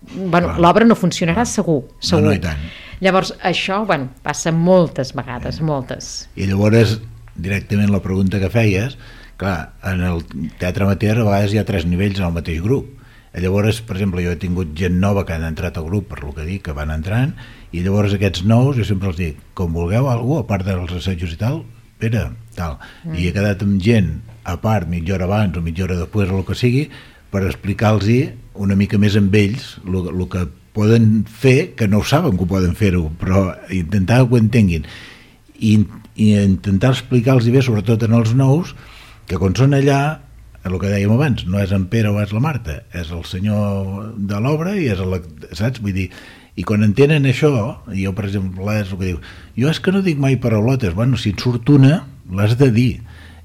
bueno, l'obra no funcionarà segur, segur. No, no, i tant. Llavors, això, bueno, passa moltes vegades, moltes. I llavors, directament la pregunta que feies, clar, en el teatre amateur a vegades hi ha tres nivells en el mateix grup. I llavors, per exemple, jo he tingut gent nova que han entrat al grup, per lo que dic, que van entrant, i llavors aquests nous, jo sempre els dic, com vulgueu alguna cosa, a part dels assajos i tal, Pere, tal. Mm. I he quedat amb gent, a part, mitja hora abans o mitja hora després o el que sigui, per explicar-los una mica més amb ells el que poden fer, que no ho saben que ho poden fer-ho, però intentar que ho entenguin. I, i intentar explicar-los bé, sobretot en els nous, que quan són allà, el que dèiem abans, no és en Pere o és la Marta, és el senyor de l'obra i és el, saps? Vull dir, i quan entenen això, jo per exemple és el que diu, jo és que no dic mai paraulotes, bueno, si et surt una l'has de dir,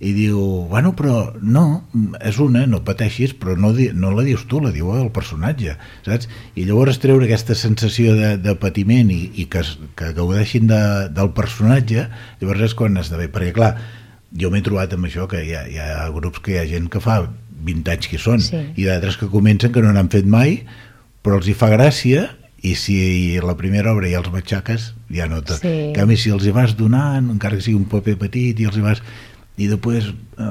i diu, bueno, però no, és una, no pateixis, però no, di, no la dius tu, la diu el personatge, saps? I llavors treure aquesta sensació de, de patiment i, i que, que gaudeixin de, del personatge, llavors és quan esdevé, perquè clar, jo m'he trobat amb això, que hi ha, hi ha grups que hi ha gent que fa vint anys que hi són, sí. I d'altres que comencen que no n'han fet mai, però els hi fa gràcia, i si la primera obra ja els matxaques, ja no tot. Sí. En canvi, si els hi vas donant, encara que sigui un paper petit, i els hi vas... i després,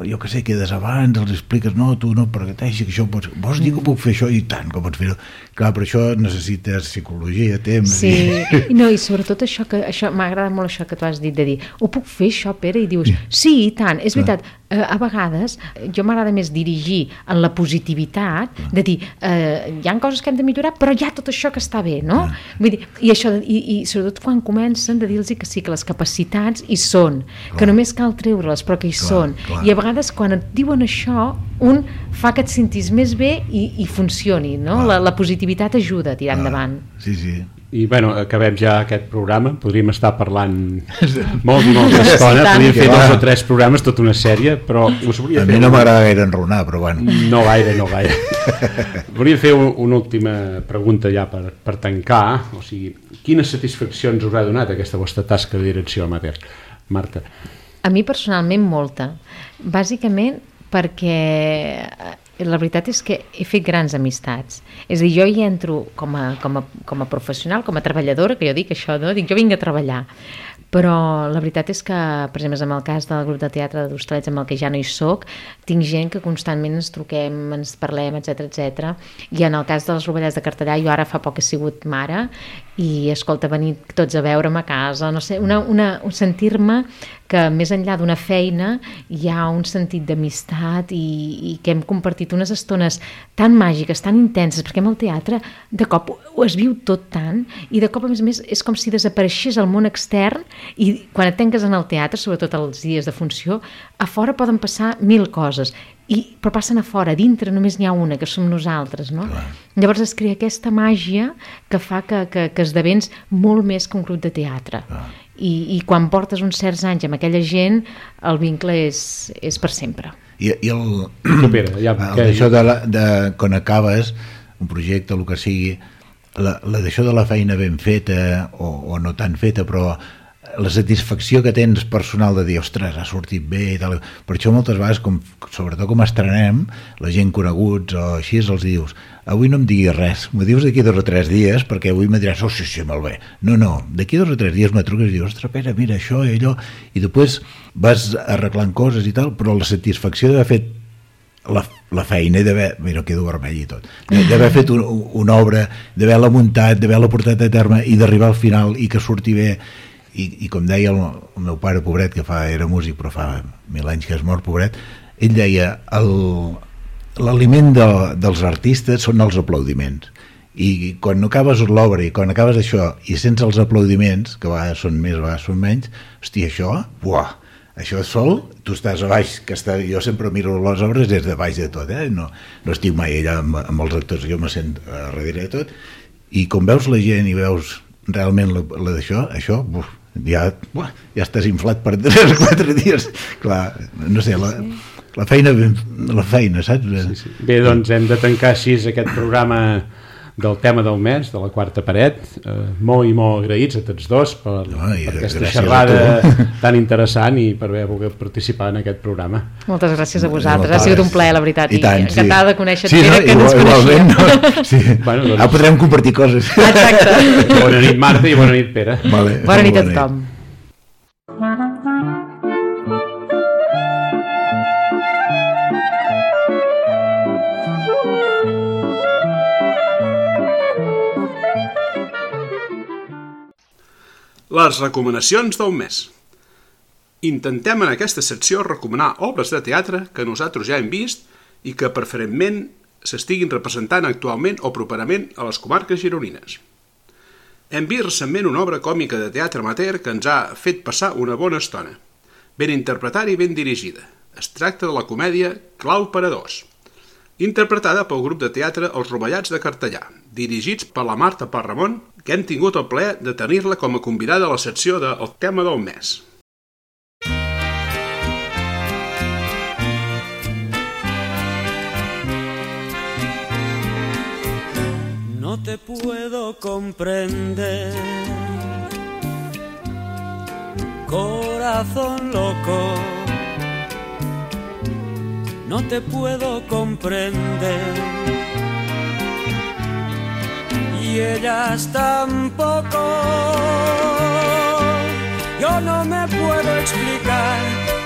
jo que sé, quedes abans, els expliques, no, tu no parteixi, que això pots... Vols dir que puc fer això? I tant, que pots fer-ho. Clar, però això necessites psicologia, temps... Sí, i, no, i sobretot això, que això m'agrada molt això que tu has dit, de dir, ho puc fer això, Pere? I dius, sí, i tant, és veritat, eh, a vegades jo m'agrada més dirigir en la positivitat, de dir, eh, hi ha coses que hem de millorar, però hi ha tot això que està bé, no? Vull dir, i això, i, i sobretot quan comencen de dir-los que sí, que les capacitats hi són, que només cal treure-les, però que hi són, i a vegades quan et diuen això un fa que et sentis més bé i, i funcioni, no? La, la positivitat ajuda a tirar endavant. Sí, sí. I bueno, acabem ja aquest programa, podríem estar parlant molt i molta estona, podríem fer dos o tres programes, tota una sèrie, però us volia a fer... mi no m'agrada gaire enronar, però bueno. No gaire, no gaire. Volia fer un, una última pregunta ja per, per tancar, o sigui, quines satisfaccions us ha donat aquesta vostra tasca de direcció amateur? Marta. A mi personalment molta, bàsicament perquè la veritat és que he fet grans amistats, és a dir, jo hi entro com a, com a, com a professional, com a treballadora, que jo dic això, no? Dic, jo vinc a treballar, però la veritat és que, per exemple, en el cas del grup de teatre d'Hostalets amb el que ja no hi soc, tinc gent que constantment ens truquem, ens parlem, etcètera, etcètera. I en el cas dels Rovellats de Cartellà, jo ara fa poc he sigut mare i, escolta, venir tots a veure'm a casa, no sé, una, una, un sentir-me que més enllà d'una feina hi ha un sentit d'amistat i, i que hem compartit unes estones tan màgiques, tan intenses, perquè amb el teatre de cop ho es viu tot tant i de cop, a més a més, és com si desapareixés el món extern i quan et tanques en el teatre, sobretot els dies de funció, a fora poden passar mil coses, i, però passen a fora, a dintre només n'hi ha una, que som nosaltres, no? Clar. Llavors es crea aquesta màgia que fa que, que, que esdevens molt més que un grup de teatre. I, i quan portes uns certs anys amb aquella gent, el vincle és, és per sempre. I, i el, Supera, ja, el d'això de, la, de quan acabes un projecte, el que sigui, la, la d'això de la feina ben feta o, o no tan feta, però la satisfacció que tens personal de dir, ostres, ha sortit bé i tal. Per això moltes vegades, com, sobretot com estrenem, la gent coneguts o així, els dius, avui no em diguis res, m'ho dius d'aquí dos o tres dies, perquè avui me diràs, oh, sí, sí, molt bé. No, no, d'aquí dos o tres dies me truques i dius, ostres, Pere, mira això i allò, i després vas arreglant coses i tal, però la satisfacció d'haver fet la, la feina i d'haver, mira, quedo vermell i tot, d'haver fet un, una obra, d'haver-la muntat, d'haver-la portat a terme i d'arribar al final i que surti bé. I, i com deia el, el meu pare, pobret, que fa, era músic però fa mil anys que és mort, pobret, ell deia, l'aliment de, dels artistes són els aplaudiments, i quan no acabes l'obra i quan acabes això i sents els aplaudiments, que a vegades són més, a vegades són menys, hòstia, això, buah, això és sol, tu estàs a baix, que està, jo sempre miro les obres des de baix de tot, eh? no, no estic mai allà amb, amb els actors, jo me sent a darrere de tot, i com veus la gent i veus realment la, la d'això, això, buf, ja, buah, ja estàs inflat per tres o quatre dies, clar, no sé, la, la feina, la feina, saps? Sí, sí. Bé, doncs hem de tancar així aquest programa del tema del mes, de la quarta paret, eh, molt i molt agraïts a tots dos per, no, per aquesta xerrada tan interessant i per haver volgut participar en aquest programa. Moltes gràcies a vosaltres, ha sigut un plaer, la veritat, i, i tant, encantada sí. de conèixer-te, sí, no, que no ens coneixíem. No? Sí. Bueno, doncs... Ah, podrem compartir coses. Exacte. Bona nit, Marta, i bona nit, Pere. Vale, bona nit a tothom. Les recomanacions del mes. Intentem en aquesta secció recomanar obres de teatre que nosaltres ja hem vist i que preferentment s'estiguin representant actualment o properament a les comarques gironines. Hem vist recentment una obra còmica de teatre amateur que ens ha fet passar una bona estona, ben interpretada i ben dirigida. Es tracta de la comèdia Clau per a dos, interpretada pel grup de teatre Els Rovellats de Cartellà, dirigits per la Marta Parramon, que hem tingut el plaer de tenir-la com a convidada a la secció de El tema del mes. No te puedo comprender, corazón loco. No te puedo comprender y ellas tampoco. Yo no me puedo explicar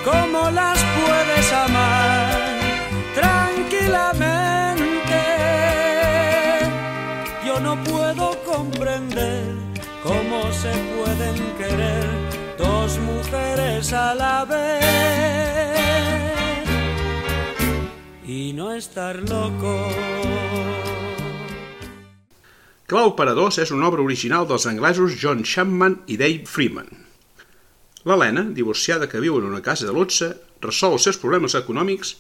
cómo las puedes amar tranquilamente. Yo no puedo comprender cómo se pueden querer dos mujeres a la vez y no estar loco. Clau per a dos és una obra original dels anglesos John Chapman i Dave Freeman. L'Helena, divorciada que viu en una casa de luxe, resol els seus problemes econòmics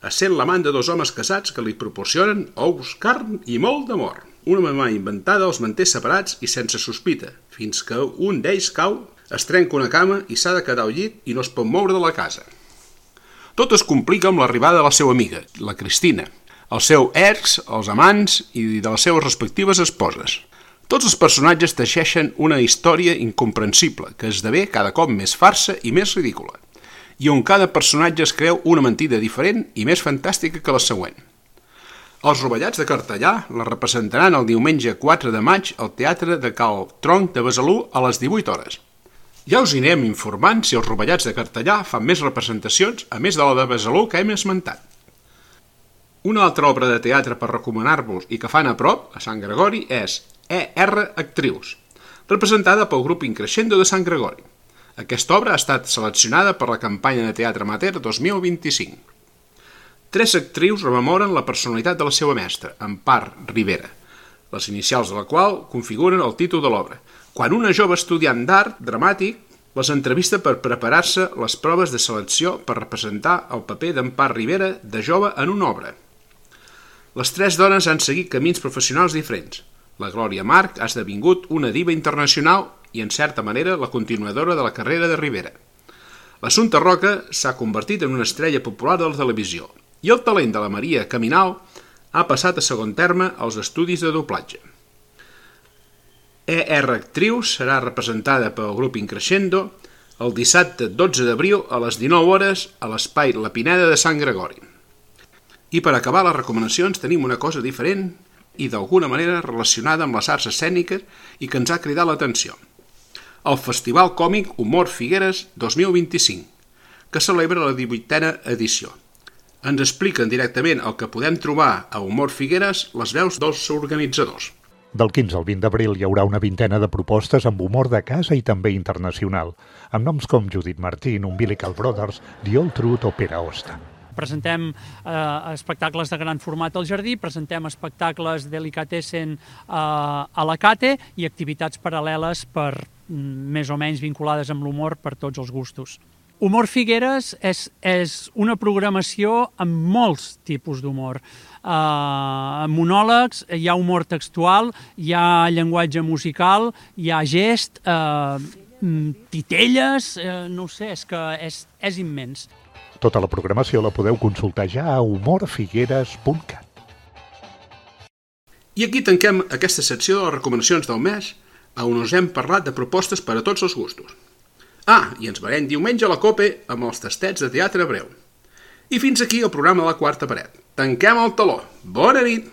essent l'amant de dos homes casats que li proporcionen ous, carn i molt d'amor. Una mamà inventada els manté separats i sense sospita, fins que un d'ells cau, es trenca una cama i s'ha de quedar al llit i no es pot moure de la casa. Tot es complica amb l'arribada de la seva amiga, la Cristina, el seu ex, els amants i de les seves respectives esposes. Tots els personatges teixeixen una història incomprensible que esdevé cada cop més farsa i més ridícula, i on cada personatge es creu una mentida diferent i més fantàstica que la següent. Els Rovellats de Cartellà la representaran el diumenge quatre de maig al Teatre de Cal Tronc de Besalú a les divuit hores. Ja us anirem informant si els Rovellats de Cartellà fan més representacions a més de la de Besalú que hem esmentat. Una altra obra de teatre per recomanar-vos i que fan a prop, a Sant Gregori, és E R Actrius, representada pel grup Increscendo de Sant Gregori. Aquesta obra ha estat seleccionada per la campanya de teatre amateur dos mil vint-i-cinc. Tres actrius rememoren la personalitat de la seva mestra, Empar Rivera, les inicials de la qual configuren el títol de l'obra. Quan una jove estudiant d'art dramàtic les entrevista per preparar-se les proves de selecció per representar el paper d'Empar Rivera de jove en una obra. Les tres dones han seguit camins professionals diferents. La Glòria March ha esdevingut una diva internacional i, en certa manera, la continuadora de la carrera de Rivera. L'Assumpta Roca s'ha convertit en una estrella popular de la televisió i el talent de la Maria Caminal ha passat a segon terme als estudis de doblatge. E R Actrius serà representada pel grup Increscendo el dissabte dotze d'abril a les dinou hores a l'espai La Pineda de Sant Gregori. I per acabar les recomanacions tenim una cosa diferent i d'alguna manera relacionada amb les arts escèniques i que ens ha cridat l'atenció. El Festival Còmic Humor Figueres dos mil vint-i-cinc, que celebra la divuitena edició. Ens expliquen directament el que podem trobar a Humor Figueres les veus dels organitzadors. Del quinze al vint d'abril hi haurà una vintena de propostes amb humor de casa i també internacional, amb noms com Judith Martín, Umbilical Brothers, The Old Truth o Pere Osta. Presentem eh, espectacles de gran format al Jardí, presentem espectacles delicatessen eh, a la Cate i activitats paral·leles per més o menys vinculades amb l'humor per tots els gustos. Humor Figueres és, és una programació amb molts tipus d'humor. Uh, monòlegs, hi ha humor textual, hi ha llenguatge musical, hi ha gest, uh, titelles, uh, no ho sé, és que és, és immens. Tota la programació la podeu consultar ja a humor figueres punt cat. I aquí tanquem aquesta secció de les recomanacions del mes, on us hem parlat de propostes per a tots els gustos. Ah, i ens veurem diumenge a la COPE amb els tastets de teatre breu. I fins aquí el programa de la Quarta Paret. Tanquem el teló. Bona nit!